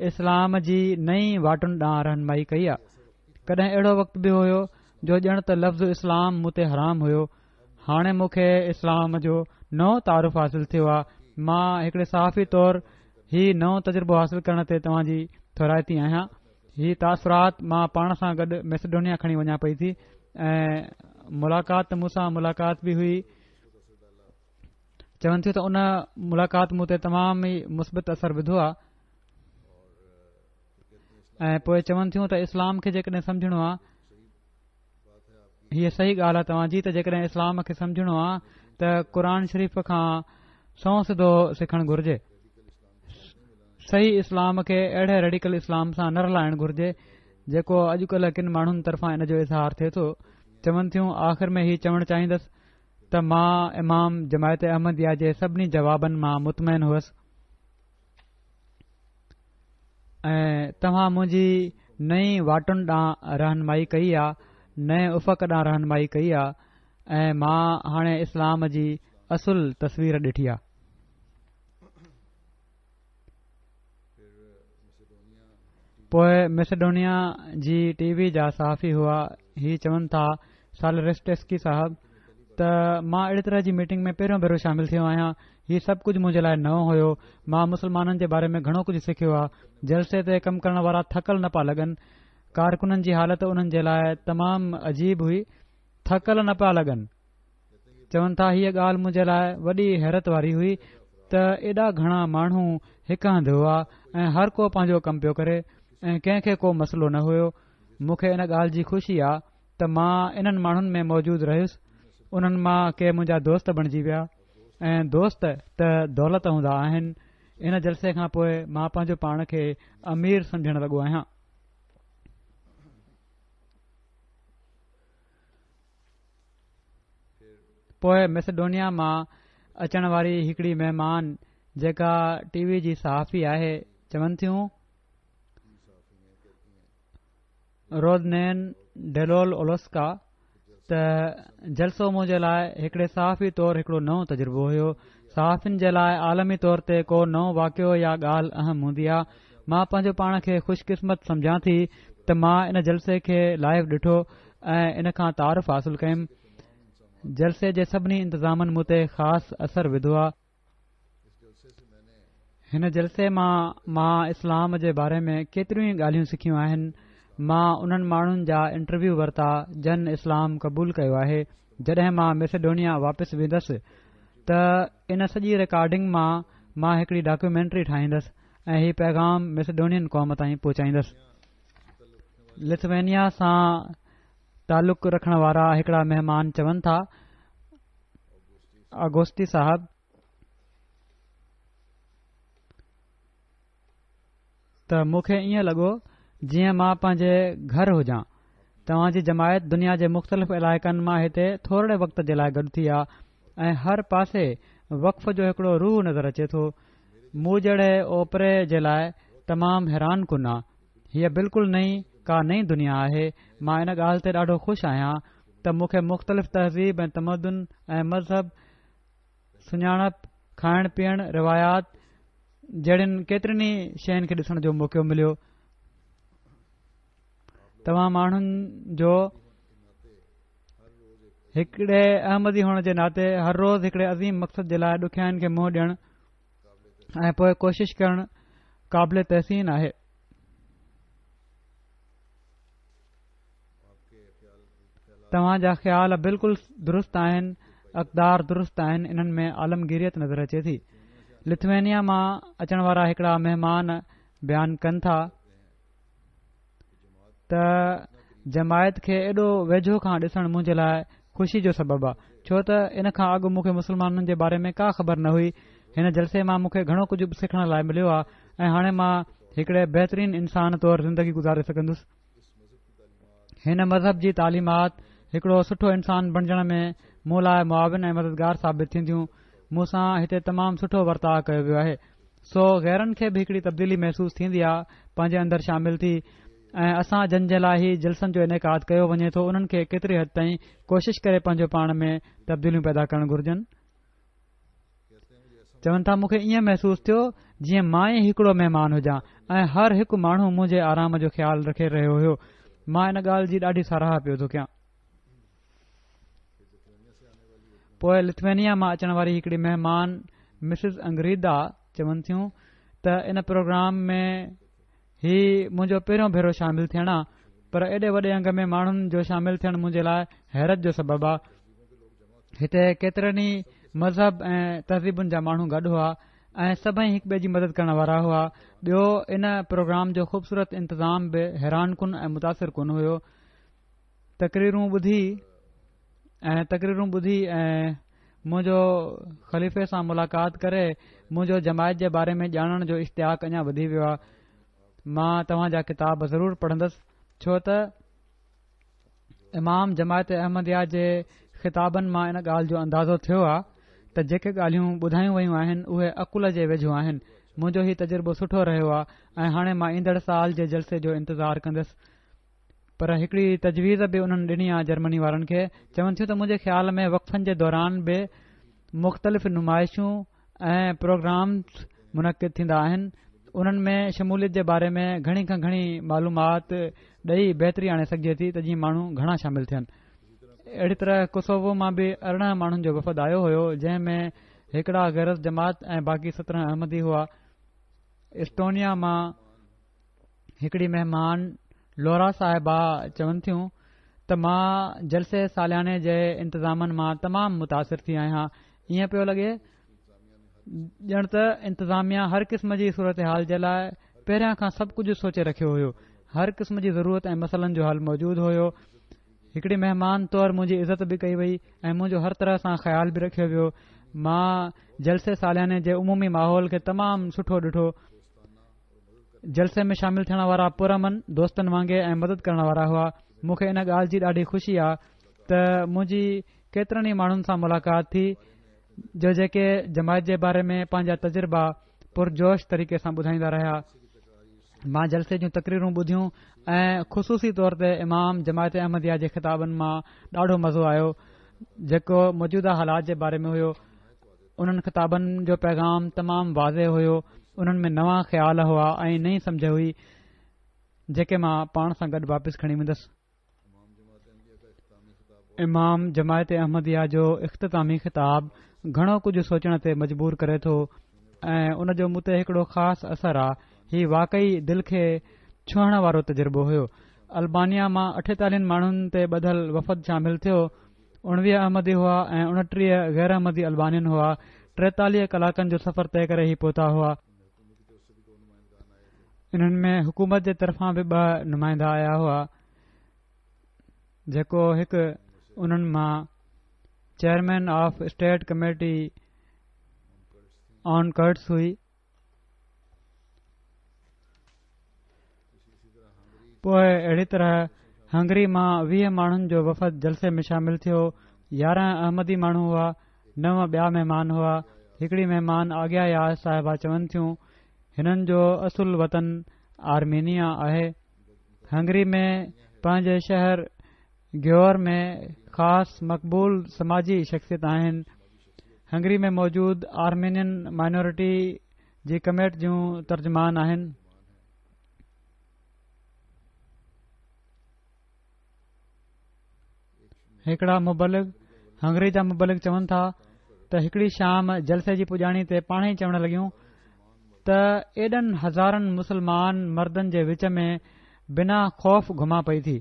اسلام جي نئين واٽن ڏانهن رهنمائي ڪئي آ. ڪڏهن اهڙو وقت به هيو جو ڄڻ ته لفظ اسلام مون تي حرام هيو. هاڻي مون کي اسلام جو نئون تعارف حاصل ٿيو آ. مان هڪڙي صحافي طور هي نئون تجربو حاصل ڪرڻ تي توهان جي ٿورائتي آهيان. هي تاثرات مان پاڻ سان گڏ ميسيڊونيا کڻي وڃان پئي ٿي ۽ ملاقات ته مون سان ملاقات به هئي. چون ٿيون ته ان ملاقات مون تي تمام ئي مثبت اثر وڌو آهي ۽ پوء چون ٿيون ته اسلام کي جيڪڏهن سمجهڻو آهي هيء صحيح ڳالهه آهي توهان جي ته جيڪڏهن اسلام کي سمجهڻو آهي ته قرآن شريف کان سنئون سڌو سکڻ گهرجي صحيح اسلام کي اهڙي ريڊيڪل اسلام سان نه رلائڻ گهرجي جيڪو اڄڪلهه ڪن ماڻهن طرفان ان جو اظهار ٿئي ٿو چون ٿيون آخر ۾ هي چوڻ چاهيندس ته مان امام جماعت احمديه جي سڀني جوابن مان مطمئن هئس ۽ توهان منهنجي نئين واٽن ڏانهن رهنمائي ڪئي آ نئين افق ڏانهن رهنمائي ڪئي آ ۽ مان هاڻي اسلام جي اصل تصوير ڏٺي آ. پوء ميسيڊونيا جي ٽي وي جا صحافي هئا هي چون ٿا سالرسٽسڪي صاحب ته مان اهڙي طرح جي ميٽنگ ۾ پهريون ڀيرو شامل ٿيو آهيان هي سڀ ڪجهه منهنجي لاء نئون هيو مان مسلمانن جي باري ۾ گهڻو ڪجهه سکيو آهي جلسي تي ڪم ڪرڻ وارا ٿڪل نه پيا لڳن. ڪارڪنن جي حالت انهن جي لاء تمام عجيب هئي، ٿڪل نه پيا لڳن. چون ٿا هيء ڳالهه منهنجي لاء وڏي حيرت واري هئي ته ايڏا گهڻا ماڻهو هڪ هنڌ هئا ۽ هر ڪو پنهنجو ڪم پيو ڪري ۽ ڪنهن کي ڪو مسئلو نه هيو. مون کي ان ڳالهه جي خوشي آ ته مان انهن ماڻهن ۾ موجود رهيس. انهن مان ڪي منهنجا دوست بڻجي ويا ۽ دوست ته دولت هوندا آهن. ان جلسي کان پوء مان پنهنجو پاڻ کي امير سمجهڻ لڳو آهيان. پوء ميسيڊونيا مان اچڻ واري هڪڙي مهمان جيڪا ٽي وي جي صحافي آهي چون ٿيون رودنين ڊيلول اولوسڪا ته جلسو منهنجي لاء هڪڙي صحافي طور هڪڙو نئون تجربو هيو. صحافين جي لاء عالمي طور تي ڪو نئون واقعو يا ڳالهه اهم هوندي آ. مان پنهنجو پاڻ کي خوش قسمت سمجهان ٿي ته مان ان جلسي کي لائيو ڏٺو ۽ ان کان تعارف حاصل ڪيم. جلسي جي سڀني انتظامن مون تي خاص اثر وڌو آ. هن جلسي مان مان اسلام جي باري ۾ ڪيتريون ئي ڳالهيون سکيون آهن. مان انهن ماڻهن جا انٽرويو ورتا جن اسلام قبول ڪيو آهي. جڏهن مان ميسيڊونيا واپس ويندس ته ان سڄي رڪارڊنگ مان مان هڪڙي ڊاڪيومينٽري ٺاهيندس ۽ هي پيغام ميسيڊونين قوم تائين پهچائيندس. لٿوينيا سان تعلق رکڻ وارا هڪڙا مهمان چون ٿا آگوستي صاحب ته مون کي ائين لڳو جيئن مان پنهنجي گهر هجان. توهان جي جماعت دنيا جي مختلف علائقن مان هتي ٿورڙي وقت جي لاء گڏ ٿي آ ۽ هر پاسي وقف جو هڪڙو روح نظر اچي ٿو. مون جهڙي اوپري جي لاء تمام حيران ڪن آ. هيء بلڪل نئين ڪا نئين دنيا آهي. مان ان ڳالهه تي ڏاڍو خوش آهيان ته مون کي مختلف تهذيب ۽ تمدن ۽ مذهب، سڃاڻپ، کائڻ پيئڻ، روايات جهڙين ڪيترين ئي شين کي ڏسڻ جو موقعو مليو. توهان ماڻهن جو هڪڙي احمدي هئڻ جي ناتي هر روز هڪڙي عظيم مقصد جي لاء ڏکيائين کي منهن ڏيڻ ۽ پوء ڪوشش ڪرڻ قابل تحسين آهي. توهان جا خيال بلڪل درست آهن، اقدار درست آهن، انهن ۾ عالمگيريت نظر اچي ٿي. لٿوينيا مان اچڻ وارا هڪڙا مهمان بيان ڪن ٿا ته جماعت کي ايڏو ويجهو کان ڏسڻ منهنجي لاء خوشي جو سبب آ ڇو ته ان کان اڳ مون کي مسلمانن جي باري ۾ ڪا خبر نه هئي. هن جلسي مان مون کي گهڻو ڪجهه سکڻ لاء مليو آ ۽ هاڻي مان هڪڙي بهترين انسان طور زندگي گذاري سگهندس. هن مذهب جي تعليمات هڪڙو سٺو انسان بڻجڻ ۾ مون لاء معاون ۽ مددگار ثابت ٿينديون. مون سان هتي تمام سٺو ورتاء ڪيو ويو آهي. سو غيرن کي به هڪڙي تبديلي محسوس ٿيندي آ پنهنجي اندر شامل ٿي ۽ اسان جن جي لاء هي جلسن جو انعقاد ڪيو وڃي ٿو انهن کي ڪيتري حد تائين ڪوشش ڪري پنهنجو پاڻ ۾ تبديليون پيدا ڪرڻ گهرجن. چون ٿا مون کي ائين محسوس ٿيو جيئن مان ئي هڪڙو مهمان هجان ۽ هر هڪ ماڻهو منهنجي آرام جو خيال رکي رهيو هيو مان ان ڳالهه جي ڏاڍي ساراهه پيو ٿو ڪيان پوء لٿوينيا مان اچڻ واري هڪڙي مهمان مسز انگريدا چون ٿيون ته ان پروگرام ۾ هي منهنجو پهريون ڀيرو شامل ٿيڻ آ پر ايڏي وڏي انگ ۾ ماڻهن جو شامل ٿيڻ منهنجي لاء حيرت جو سبب آ هتي ڪيترن ئي مذهب ۽ تهذيبن جا ماڻهو گڏ هئا ۽ سڀئي هڪ ٻئي جي مدد ڪرڻ وارا هئا ٻيو ان پروگرام جو خوبصورت انتظام به حيران ڪن ۽ متاثر ڪن هيو تقريرون ٻڌي ۽ تقريرون ٻڌي ۽ منهنجو خليفي سان ملاقات ڪري منهنجو جماعت جي باري ۾ ڄاڻڻ جو اشتياق اڃا وڌي ويو آهي مان توهان جا ڪتاب ضرور پڙهندس ڇو ته امام جماعت احمديه جي خطابن مان ان ڳالهه جو اندازو ٿيو آهي ته جيڪي ڳالهيون ٻڌايون ويون آهن اهي عقل جي ويجهو آهن منهنجو هي تجربو سٺو رهيو آهي ۽ هاڻي مان ايندڙ سال جي جلسي جو انتظار ڪندس پر هڪڙي تجويز به انهن ڏني آ جرمني وارن کي چون ٿيون ته منهنجي خيال ۾ وقفن جي دوران به مختلف نمائشون ۽ پروگرامز منعقد ٿيندا آهن انهن ۾ شموليت جي باري ۾ گهڻي کان گهڻي معلومات ڏئي بهتري آڻي سگهجي ٿي ته جيئن ماڻهو گهڻا شامل ٿين اهڙي طرح ڪوسوو مان به 18 ماڻهن جو وفد آيو هيو جنهن ۾ هڪڙا غير از جماعت ۽ باقي 17 احمدي هئا اسٽونيا مان هڪڙي مهمان لورا صاحبه چون ٿيون ته مان جلسي سالياني جي انتظامن مان تمام متاثر ٿي آهيان. ائين پيو لڳي ڄڻ ته انتظاميا هر قسم جي صورتحال جي لاء پهريان کان سڀ ڪجهه سوچي رکيو هيو. هر قسم جي ضرورت ۽ مسئلن جو حل موجود هيو. هڪڙي مهمان طور منهنجي عزت به ڪئي وئي ۽ منهنجو هر طرح سان خيال به رکيو ويو. مان جلسي سالياني جي عمومي ماحول کي تمام سٺو ڏٺو. جلسي ۾ شامل ٿيڻ وارا پرامن، دوستن وانگي ۽ مدد ڪرڻ وارا هئا. مون کي ان ڳالهه جي ڏاڍي خوشي آ ته منهنجي ڪيترن ئي ماڻهن سان ملاقات ٿي جو جيڪي جماعت جي باري ۾ پنهنجا تجربا پرجوش طريقي سان ٻڌائيندا رهيا. مان جلسي جون تقريرون ٻڌيون ۽ خصوصي طور تي امام جماعت احمديه جي خطابن مان ڏاڍو مزو آيو جيڪو موجوده حالات جي باري ۾ هيو. انهن خطابن جو پيغام تمام واضح هيو، انهن ۾ نوان خيال هئا ۽ نئين سمجهه هئي، جيڪي مان پاڻ سان گڏ واپس کڻي ويندس. امام جماعت احمديه جو اختتامي خطاب گهڻو ڪجهه سوچڻ تي مجبور ڪري ٿو ۽ ان جو مون تي هڪڙو خاص اثر آ. هي واقعي دل کي ڇهڻ وارو تجربو هيو. البانيا مان اٺيتاليهن ماڻهن تي ٻڌل وفد شامل ٿيو. 19 احمدي هئا ۽ 29 غير احمدي البانين هئا. 43 ڪلاڪن جو سفر طئي ڪري هي پهتا هئا. انهن ۾ حڪومت جي طرفان به ٻه نمائندا آيا هئا، جيڪو هڪ انهن مان chairman of state committee on Kurds هئي. پوء اهڙي طرح هنگري مان 20 ماڻهن جو وفد جلسي ۾ شامل ٿيو. 11 احمدي ماڻهو هئا، نو ٻيا مهمان هئا. هڪڙي مهمان آگيا ياز صاحبه چون ٿيون، هنن جو اصل وطن آرمينيا آهي. هنگري ۾ پنهنجي شهر گيور ۾ خاص مقبول سماجي شخصيت آهن. هنگري ۾ موجود آرمينين مائنورٽي جي ڪميٽي جون ترجمان آهن. هڪڙا مبلغ هنگري جا مبلغ چون ٿا ته هڪڙي شام جلسي جي پڄاڻي تي پاڻ ئي چوڻ لڳيون ته ايڏن هزارن مسلمان مردن جي وچ ۾ بنا خوف گهمان پئي ٿي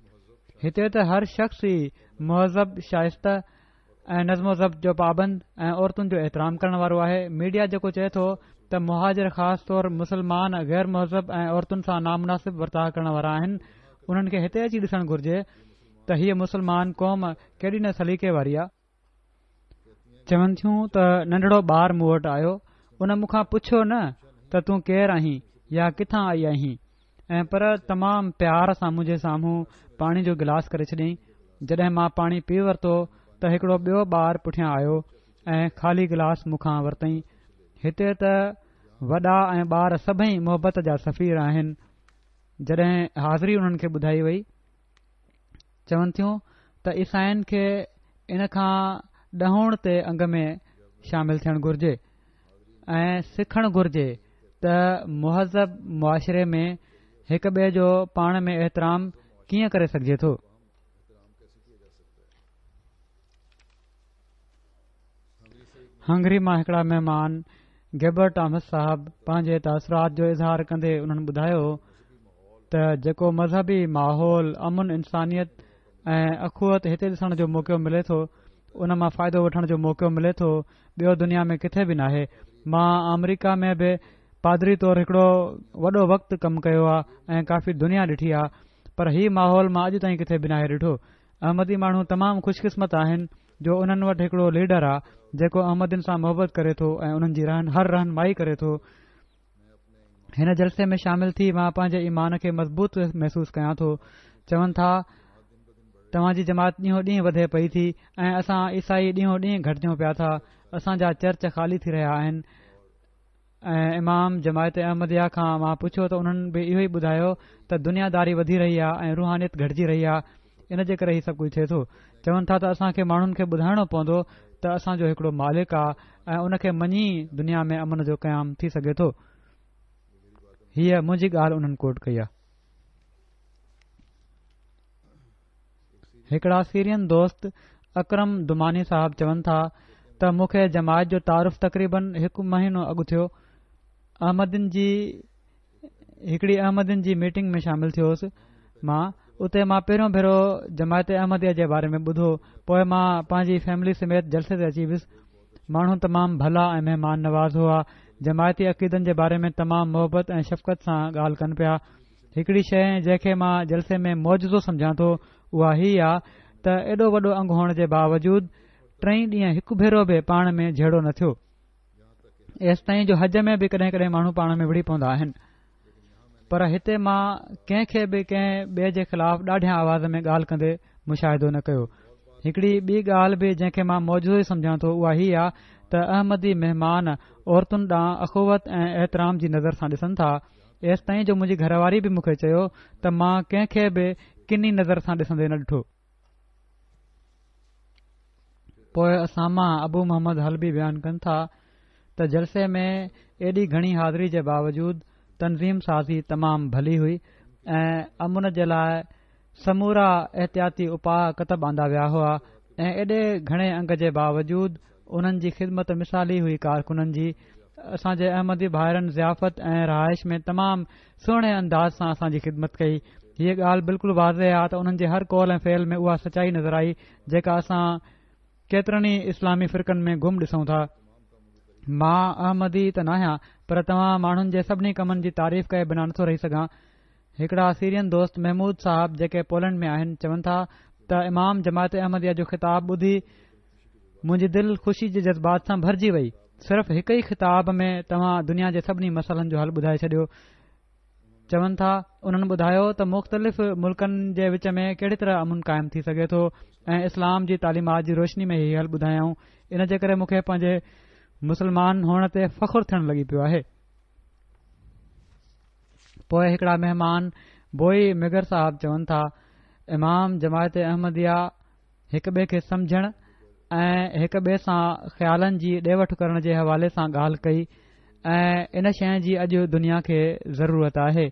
هتي ته هر شخص ئي مهذب شائسته ۽ نظم و ضبط جو پابند ۽ عورتن جو احترام ڪرڻ وارو آهي ميڊيا جيڪو چئي ٿو ته مهاجر خاص طور مسلمان غير مهذب ۽ عورتن سان نامناسب ورتاء ڪرڻ وارا آهن انهن کي هتي اچي ڏسڻ گهرجي ته هيء مسلمان قوم ڪيڏي نه سليقي واري آ. چون ٿيون ته ننڍڙو ٻار مون وٽ آيو ان مون کان پڇيو نه ته تون ڪير آهين يا ڪٿان آئي آهين ۽ پر تمام پيار سان منهنجي سامهون پاڻي جو گلاس ڪري ڇڏيائين جڏهن مان پاڻي پي ورتو ته هڪڙو ٻيو ٻار پٺيان آيو ۽ خالي گلاس مون کان ورتائين هتي ته وڏا ۽ ٻار سڀئي محبت جا سفير آهن جڏهن حاضري انهن کي ٻڌائي وئي چون ٿيون ته عيسائين کي ان کان ڏهوڻ تي انگ ۾ شامل ٿيڻ گهرجي ۽ سکڻ گهرجي ته مهذب معاشري ۾ هڪ ٻئي جو پاڻ ۾ احترام ڪيئن ڪري سگهجي ٿو. هنگري مان هڪڙا مهمان گيبر ٽامس صاحب پنهنجي تاثرات جو اظهار ڪندي انهن ٻڌايو ته جيڪو مذهبي ماحول امن انسانيت ۽ اخوت هتي ڏسڻ جو موقعو ملي ٿو ان مان فائدو وٺڻ جو موقعو ملي ٿو ٻيو دنيا ۾ ڪٿي به ناهي مان آمريڪا ۾ به پادري طور هڪڙو وڏو وقت ڪم ڪيو آهي ۽ ڪافي دنيا ڏٺي آهي پر هي ماحول مان اڄ تائين ڪٿي به ناهي ڏٺو احمدي ماڻهو تمام خوش قسمت آهن جو انهن وٽ هڪڙو ليڊر آ جيڪو احمدين سان محبت ڪري ٿو ۽ انهن جي هر رهنمائي ڪري ٿو. هن جلسي ۾ شامل ٿي مان پنهنجي ايمان کي مضبوط محسوس ڪيان ٿو. چون ٿا توهان جي جماعت ڏينهون ڏينهن وڌي پئي ٿي ۽ اسان عيسائي ڏينهون ڏينهن گهٽجون پيا ٿا اسان جا چرچ خالي ٿي رهيا آهن. ۽ امام جماعت احمديه کان مان پڇيو ته انهن به اهو ئي ٻڌايو ته دنيا داري وڌي رهي آهي ۽ روحانيت گهٽجي رهي آهي ان جي ڪري هي سڀ ڪجهه ٿئي ٿو چون ٿا ته اسان کي ماڻهن کي ٻڌائڻو پوندو ته اسان جو هڪڙو مالڪ آهي ۽ ان کي مڃي دنيا ۾ امن جو قيام ٿي سگهي ٿو هيء منهنجي ڳالهه انهن ڪوٽ ڪئي آهي. هڪڙا سيرين دوست اڪرم دماني صاحب چون ٿا ته مون کي جماعت جو تعارف تقريبن هڪ مهينو اڳ ٿيو احمدين جي هڪڙي احمدين جي ميٽنگ ۾ شامل ٿيو هوس. مان اتي مان پهريون ڀيرو جماعت احمديه جي باري ۾ ٻڌو پوء مان پنهنجي فيملي سميت جلسي تي اچي ويس ماڻهو تمام ڀلا ۽ مهمان نواز هئا جماعتي عقيدن جي باري ۾ تمام محبت ۽ شفقت سان ڳالهه ڪن پيا هڪڙي شيء جنهن کي مان جلسي ۾ معجزو سمجهان ٿو اها هي آ ته ايڏو وڏو انگ هئڻ جي باوجود ٽئي ڏينهن هڪ ڀيرو به پاڻ ۾ جهيڙو نه ٿيو ايستائين جو حج ۾ به ڪڏهن ڪڏهن ماڻهو پاڻ ۾ وڙهي پوندا آهن پر هتي مان ڪنهن کي به ڪنهن ٻئي جي خلاف ڏاڍيان آواز ۾ ڳالهه ڪندي مشاهدو نه ڪيو هڪڙي ٻي ڳالهه به جنهن کي مان معجزو ئي سمجهان ٿو اها هي آ ته احمدي مهمان عورتن ڏانهن اخوت ۽ احترام جي نظر سان ڏسن ٿا ايستائين جو منهنجي گهر واري به مون کي چيو ته مان ڪنهن کي به ڪني نظر سان ڏسندي نه ڏٺو پوء اسامه ابو محمد حلبي بيان ڪن ٿا ته جلسي ۾ ايڏي گهڻي حاضري جي باوجود تنظيم سازي تمام ڀلي هئي ۽ امن جي لاء سمورا احتياطي اپاء ڪتب آندا ويا هئا ۽ ايڏي گهڻي انگ جي باوجود انهن جي خدمت مثالي هئي ڪارڪنن جي اسان جي احمدي ڀائرن ضيافت ۽ رهائش ۾ تمام سهڻي انداز سان اسان جي خدمت ڪئي. هيء ڳالهه بلڪل واضح آ ته انهن جي هر قول ۽ فعل ۾ اها سچائي نظر آئي جيڪا اسان ڪيترن ئي اسلامي فرقن ۾ گم ڏسون ٿا. مان احمدي ته ناهيان پر توهان ماڻهن جي سڀني ڪمن جي تعريف ڪئي بنا نٿو رهي سگهان. هڪڙا سيرين دوست محمود صاحب جيڪي پولينڊ ۾ آهن چون ٿا ته امام جماعت احمديه جو خطاب ٻڌي منهنجي دل خوشي جي جذبات سان ڀرجي وئي. صرف هڪ ئي خطاب ۾ توهان دنيا جي سڀني مسئلن جو حل ٻڌائي ڇڏيو. چون ٿا انهن ٻڌايو ته مختلف ملڪن جي وچ ۾ ڪهڙي طرح امن قائم ٿي سگهي ٿو ۽ اسلام جي تعليمات جي روشني ۾ هي حل ٻڌايائون ان جي ڪري مون کي پنهنجي مسلمان هئڻ تي فخر ٿيڻ لڳي پيو آهي. پوء هڪڙا مهمان بوئي مگر صاحب چون ٿا امام جماعت احمديه هڪ ٻئي کي سمجهڻ ۽ هڪ ٻئي سان خيالن جي ڏي وٺ ڪرڻ جي حوالي سان ڳالهه ڪئي ۽ ان شيء جي اڄ دنيا کي ضرورت آهي.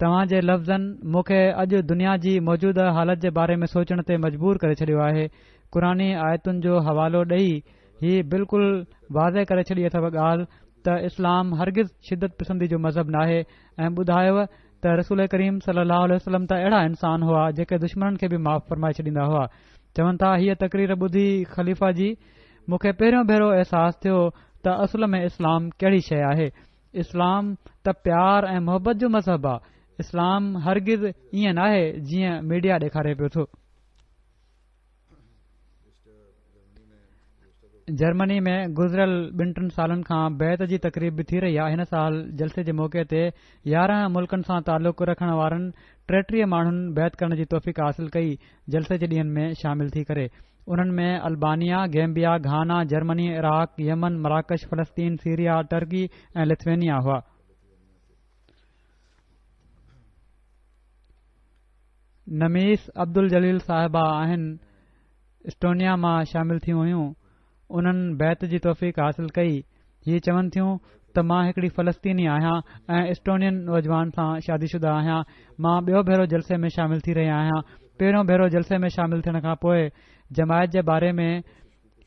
توهان جي لفظن مون کي اڄ دنيا جي موجوده حالت جي باري ۾ سوچڻ تي مجبور ڪري ڇڏيو آهي. قرآني آيتن جو حوالو ڏئي هي بلڪل واضح ڪري ڇڏي اٿو ڳالهه ته اسلام هرگز شدت پسندي جو مذهب ناهي ۽ ٻڌايو ته رسول ڪريم صلي الله عليه وسلم ته اهڙا انسان هئا جيڪي دشمنن کي به معاف فرمائي ڇڏيندا هئا. چون ٿا هيء تقرير ٻڌي خليفه جي مون کي پهريون ڀيرو احساس ٿيو ته اصل ۾ اسلام ڪهڙي شيء آهي. اسلام ته پيار ۽ محبت جو مذهب آ. اسلام هرگز ائين ناهي جيئن ميڊيا ڏيکاري پيو ٿو. جرمني ۾ گذريل ٻن ٽن سالن کان بيعت جي تقريب به ٿي رهي آهي هن سال جلسي جي موقعي تي 11 ملڪن سان تعلق رکڻ وارن 33 ماڻهن بيعت ڪرڻ جي توفيق حاصل ڪئي جلسي جي ڏينهن ۾ شامل ٿي ڪري انهن ۾ Albania, Gambia, Ghana, Germany, Iraq, Yemen, مراڪش، فلسطين، سيريا، ٽرڪي ۽ لٿوينيا هئا. نميس عبدالجليل صاحبه آهن اسٽونيا مان شامل ٿيون هيون انهن بيعت جي توفيق حاصل ڪئي هي چون ٿيون ته مان هڪڙي فلسطيني آهيان ۽ اسٽونين نوجوان سان شادي شده آهيان مان ٻيو ڀيرو جلسي ۾ شامل ٿي رهي آهيان پهريون ڀيرو جلسي ۾ شامل ٿيڻ کان پوء جماعت جي باري ۾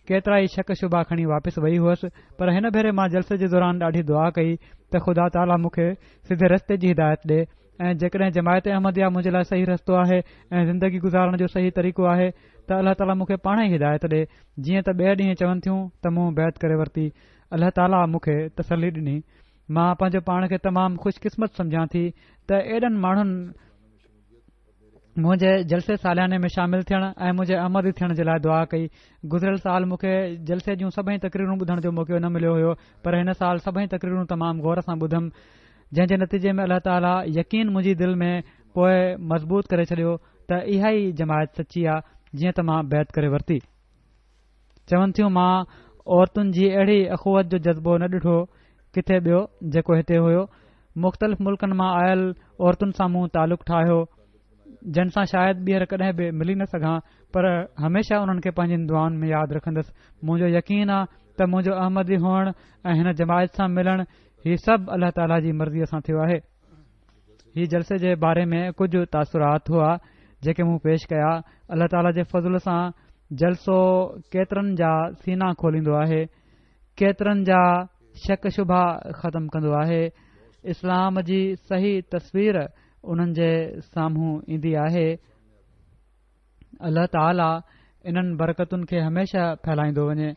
ڪيترائي شڪ شبها کڻي واپس وئي هئس پر هن ڀيري مان جلسي جي دوران ڏاڍي دعا ڪئي ته خدا تعاليٰ مون کي سڌي رستي جي هدايت ڏي ۽ جيڪڏهن جماعت احمديه منهنجي لاء صحيح رستو آهي ۽ زندگي گذارڻ جو صحيح طريقو آهي ته الله تعاليٰ مون کي پاڻ ئي هدايت ڏي جيئن ته ٻئي ڏينهن چون ٿيون ته مون بيعت ڪري ورتي الله تعاليٰ مون کي تسلي ڏني مان پنهنجو پاڻ کي تمام خوش قسمت سمجهان ٿي ته ايڏن ماڻهن منهنجي جلسي سالياني ۾ شامل ٿيڻ ۽ منهنجي احمدي ٿيڻ جي لاء دعا ڪئي. گذريل سال مون کي جلسي جون سڀئي تقريرون ٻڌڻ جو موقعو نه مليو هيو پر هن سال سڀئي تقريرون تمام غور سان ٻڌم جنهن جي نتيجي ۾ الله تعاليٰ يقين منهنجي دل ۾ پوء مضبوط ڪري ڇڏيو ته اها ئي جماعت سچي آ جيئن ته مان بيعت ڪري ورتي. چون ٿيون مان عورتن جي اهڙي اخوت جو جذبو نه ڏٺو ڪٿي ٻيو جيڪو هتي هيو مختلف ملڪن مان آيل عورتن سان مون تعلق ٺاهيو جن سان شايد ٻيهر ڪڏهن به ملي نه سگهان پر هميشه انهن کي پنهنجين دعائن ۾ ياد رکندس منهنجو يقين آ ته منهنجو احمدي هئڻ ۽ هن جماعت سان ملڻ هي سڀ الله تعاليٰ جي مرضيء سان ٿيو آهي هي جلسي جي باري ۾ ڪجهه تاثرات هئا جيڪي مون پيش ڪيا الله تعاليٰ جي فضل سان جلسو ڪيترن جا سينا کوليندو آهي ڪيترن جا شڪ شبها ختم ڪندو آهي اسلام جي صحيح تصوير انهن جي سامهون ايندي آهي. الله تعالي انهن برڪتن کي هميشه ڦهلائيندو وڃي.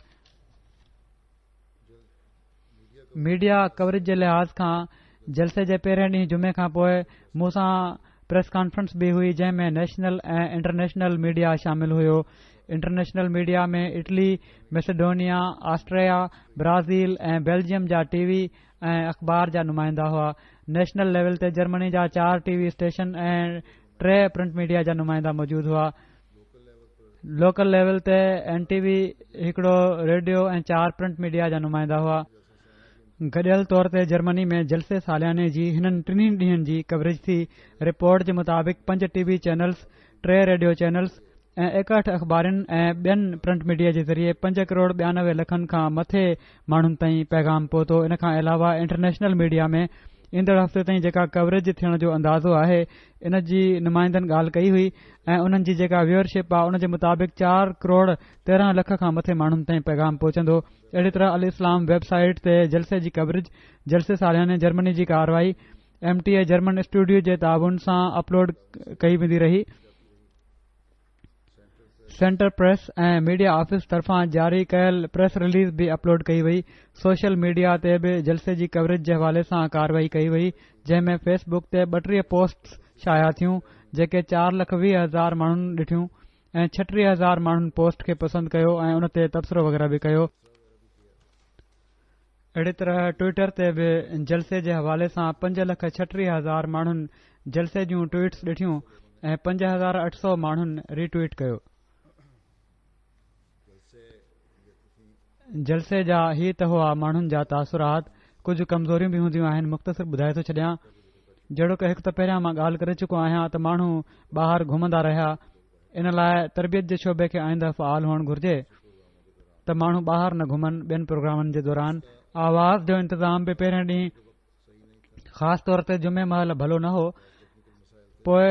ميڊيا ڪوريج جي لحاظ کان جلسي جي پهرين ڏينهن جمعي کان پوء مون سان پريس ڪانفرنس به هئي جنهن ۾ نيشنل ۽ انٽرنيشنل ميڊيا شامل هيو. International media ۾ Italy, Macedonia, Austria, Brazil ۽ Belgium جا ٽي وي ۽ اخبار جا نمائندا هئا. نيشنل ليول تي جرمني جا چار ٽي وي اسٽيشن ۽ ٽي پرنٽ ميڊيا جا نمائندا موجود هئا. لوڪل ليول تي اين ٽي وي، هڪڙو ريڊيو ۽ چار پرنٽ ميڊيا جا نمائندا هئا. گڏيل طور تي جرمني ۾ جلسي سالياني جي هنن ٽنهي ڏينهن جي ڪوريج ٿي. رپورٽ جي مطابق پنج ٽي وي چينلز، ٽي ريڊيو چينلز ۽ 61 اخبارن ۽ ٻين پرنٽ ميڊيا جي ذريعي پنج ڪروڙ 92 لکن کان مٿي ماڻهن تائين پيغام پهتو. ان کان علاوه انٽرنيشنل ميڊيا ۾ ايندڙ هفتي تائين جيڪا ڪوريج ٿيڻ جو اندازو آهي ان جي نمائندن ڳالهه ڪئي هئي ۽ انهن جي جيڪا ويور شپ آهي ان جي مطابق چار ڪروڙ 13 لک کان مٿي ماڻهن تائين پيغام پهچندو. اهڙي طرح الاسلام ويب سائيٽ تي جلسي جي ڪوريج جلسي سالياني جرمني جي ڪارروائي M T A German studio جي تعاون سان اپلوڊ ڪئي ويندي رهي. سينٽر پريس ۽ ميڊيا آفيس طرفان جاري ڪيل پريس رليز به اپلوڊ ڪئي وئي. سوشل ميڊيا تي به جلسي جي ڪوريج جي حوالي سان ڪارروائي ڪئي وئي جنهن ۾ فيس بڪ تي 32 پوسٽس شايع ٿيون جيڪي 4,20,000 ماڻهن ڏٺيون ۽ 36,000 ماڻهن پوسٽ کي پسند ڪيو ۽ ان تي تبصرو وغيره به ڪيو. اهڙي طرح ٽوئٽر تي به جلسي جي حوالي سان 5,36,000 ماڻهن جلسي جون ٽوئٽس ڏٺيون ۽ 5800 ماڻهن ري ٽوئٽ ڪيو. جلسي جا هي ته هئا ماڻهن جا تاثرات، ڪجهه ڪمزوريون به هونديون آهن مختصر ٻڌائي ٿو ڇڏيان. جهڙوڪ هڪ ته پهريان مان ڳالهه ڪري چڪو آهيان ته ماڻهو ٻاهر گهمندا رهيا ان لاء تربيت جي شعبي کي آئنده فعال هئڻ گهرجي. ته ماڻهو ٻاهر نه گهمن ٻين پروگرامن جي دوران آواز جو انتظام به پهرين ڏينهن خاص طور تي جمعي مهل ڀلو نه هو پوء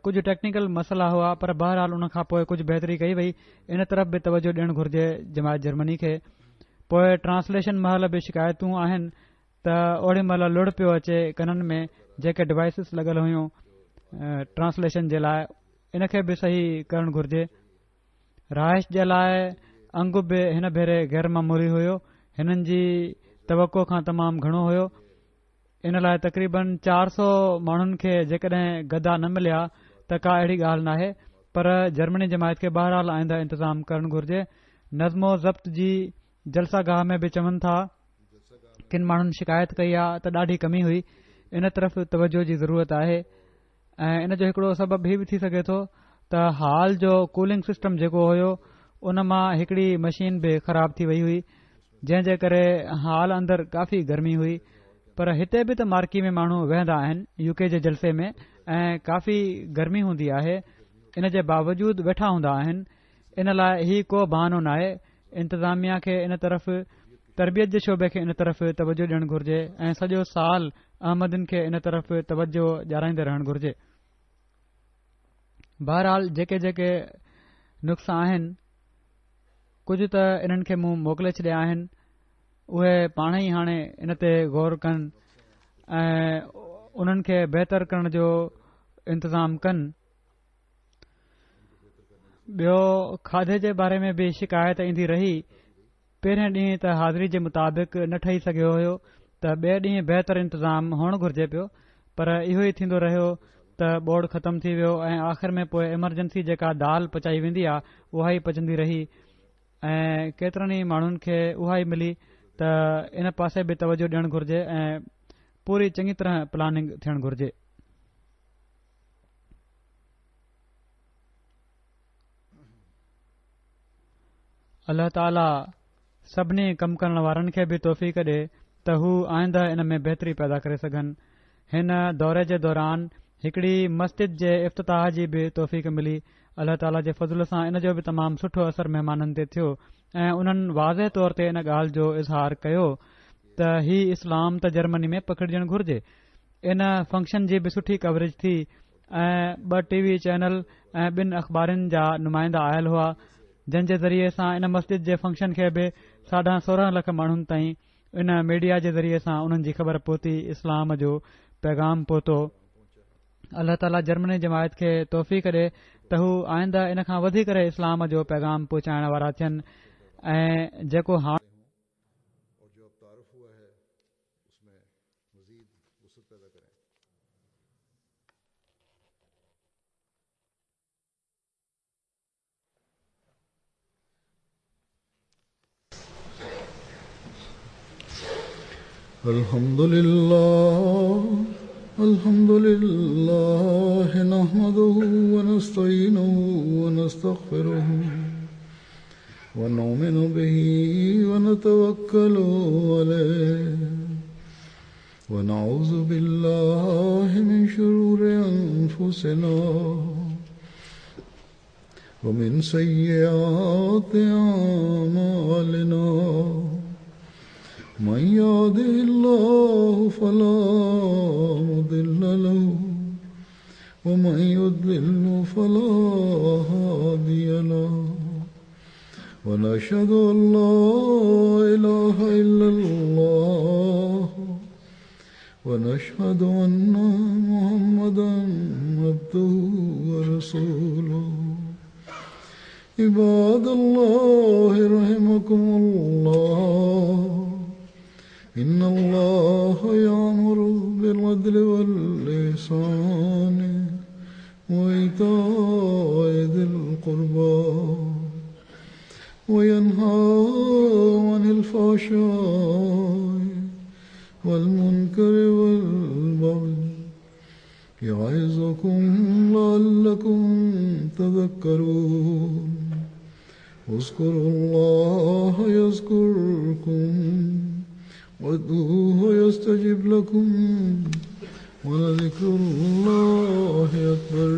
ڪجهه ٽيڪنيڪل مسئلا هئا پر بهرحال ان کان پوء ڪجهه بهتري ڪئي وئي ان طرف به توجه ڏيڻ گهرجي جماعت جرمني کي پوء ٽرانسليشن مهل به شڪايتون آهن ته اوڏي مهل لڙ پيو اچي ڪنن ۾ جيڪي ڊوائسز لڳل هيون ٽرانسليشن جي لاء ان کي به صحيح ڪرڻ گهرجي رهائش جي لاء انگ به هن ڀيري غير معمولي هيو، هنن جي توقع کان تمام گهڻو هيو. ان لاء تقريبن 400 ماڻهن کي جيڪڏهن گدا نه مليا ته ڪا اهڙي ڳالهه ناهي پر جرمني جماعت کي بهرحال آئنده انتظام ڪرڻ گهرجي. نظم و ضبط جي جلسه گاهه ۾ به چون ٿا ڪن ماڻهن شڪايت ڪئي آ ته ڏاڍي ڪمي هئي ان طرف توجه جي ضرورت آهي. ۽ ان جو هڪڙو سبب هي به ٿي سگهي ٿو ته هال جو ڪولنگ سسٽم جيڪو هيو ان مان هڪڙي مشين به خراب ٿي وئي هئي جنهن جي ڪري هال اندر ڪافي گرمي هئي پر هتي به ته مارڪي ۾ ماڻهو ويهندا آهن يو ڪي جي جلسي ۾ ۽ ڪافي گرمي هوندي آهي ان جي باوجود ويٺا هوندا آهن ان لاء هي ڪو بهانو ناهي انتظاميا کي ان طرف تربيت جي شعبي کي ان طرف توجه ڏيڻ گهرجي ۽ سڄو سال احمدين کي ان طرف توجه ڏيارائيندي رهڻ گهرجي بهرحال جيڪي جيڪي نقص آهن ڪجهه ته انهن کي مون موڪلي ڇڏيا آهن اهي پاڻ ئي هاڻي ان تي غور ڪن ۽ انهن کي بهتر ڪرڻ جو انتظام ڪن ٻيو کاڌي جي باري ۾ به شڪايت ايندي رهي. پهرين ڏينهن ته حاضري جي مطابق نه ٺهي سگهيو هيو ته ٻئي ڏينهن بهتر انتظام هئڻ گهرجي پيو پر اهو ئي ٿيندو رهيو ته ٻوڙ ختم ٿي ويو ۽ آخر ۾ پوء ايمرجنسي جيڪا دال پچائي ويندي آ اها ئي پچندي رهي ۽ ڪيترن ئي ماڻهن کي اها ئي ملي ته ان پاسي به توجه ڏيڻ گهرجي ۽ پوري چڱي طرح پلاننگ ٿيڻ گهرجي. الله تعالي سڀني ڪم ڪرڻ وارن کي به توفيق ڏي ته هو آئنده ان ۾ بهتري پيدا ڪري سگهن. هن دوري جي دوران هڪڙي مسجد جي افتتاح جي به توفيق ملي. الله تعالي جي فضل سان ان جو به تمام سٺو اثر مهمانن تي ٿيو ۽ انهن واضح طور تي ان ڳالهه جو اظهار ڪيو ته هي اسلام ته جرمني ۾ پکڙجڻ گهرجي. ان فنڪشن جي به سٺي ڪوريج ٿي ۽ ٻه ٽي وي چينل ۽ ٻن اخبارن جا نمائندا آيل هئا جن جي ذريعي سان ان مسجد جي فنڪشن کي به ساڍا 16 لک ماڻهن تائين ان ميڊيا جي ذريعي سان انهن جي خبر پهتي اسلام جو پيغام پهتو. الله تعاليٰ جرمني جماعت کي توفيق ڏي ته هو آئنده ان کان وڌي ڪري اسلام جو پيغام پهچائڻ وارا ٿين ۽ جيڪو هاڻ الحمد لله الحمد لله نحمده ونستعينه ونستغفره ونؤمن به ونتوكل عليه ونعوذ بالله من شرور أنفسنا ومن سيئات أعمالنا من يهده الله فلا مضل له ومن يضلل فلا هادي له ونشهد أن لا إله إلا الله ونشهد أن محمدا عبده ورسوله. عباد الله رحمكم الله، إن الله يأمر بالعدل والإحسان وإيتاء ذي القربى وينهى عن الفحشاء والمنكر والبغي يعظكم لعلكم تذكرون. اذكروا الله يذكركم وادعوه يستجب لكم ولذكر الله أكبر.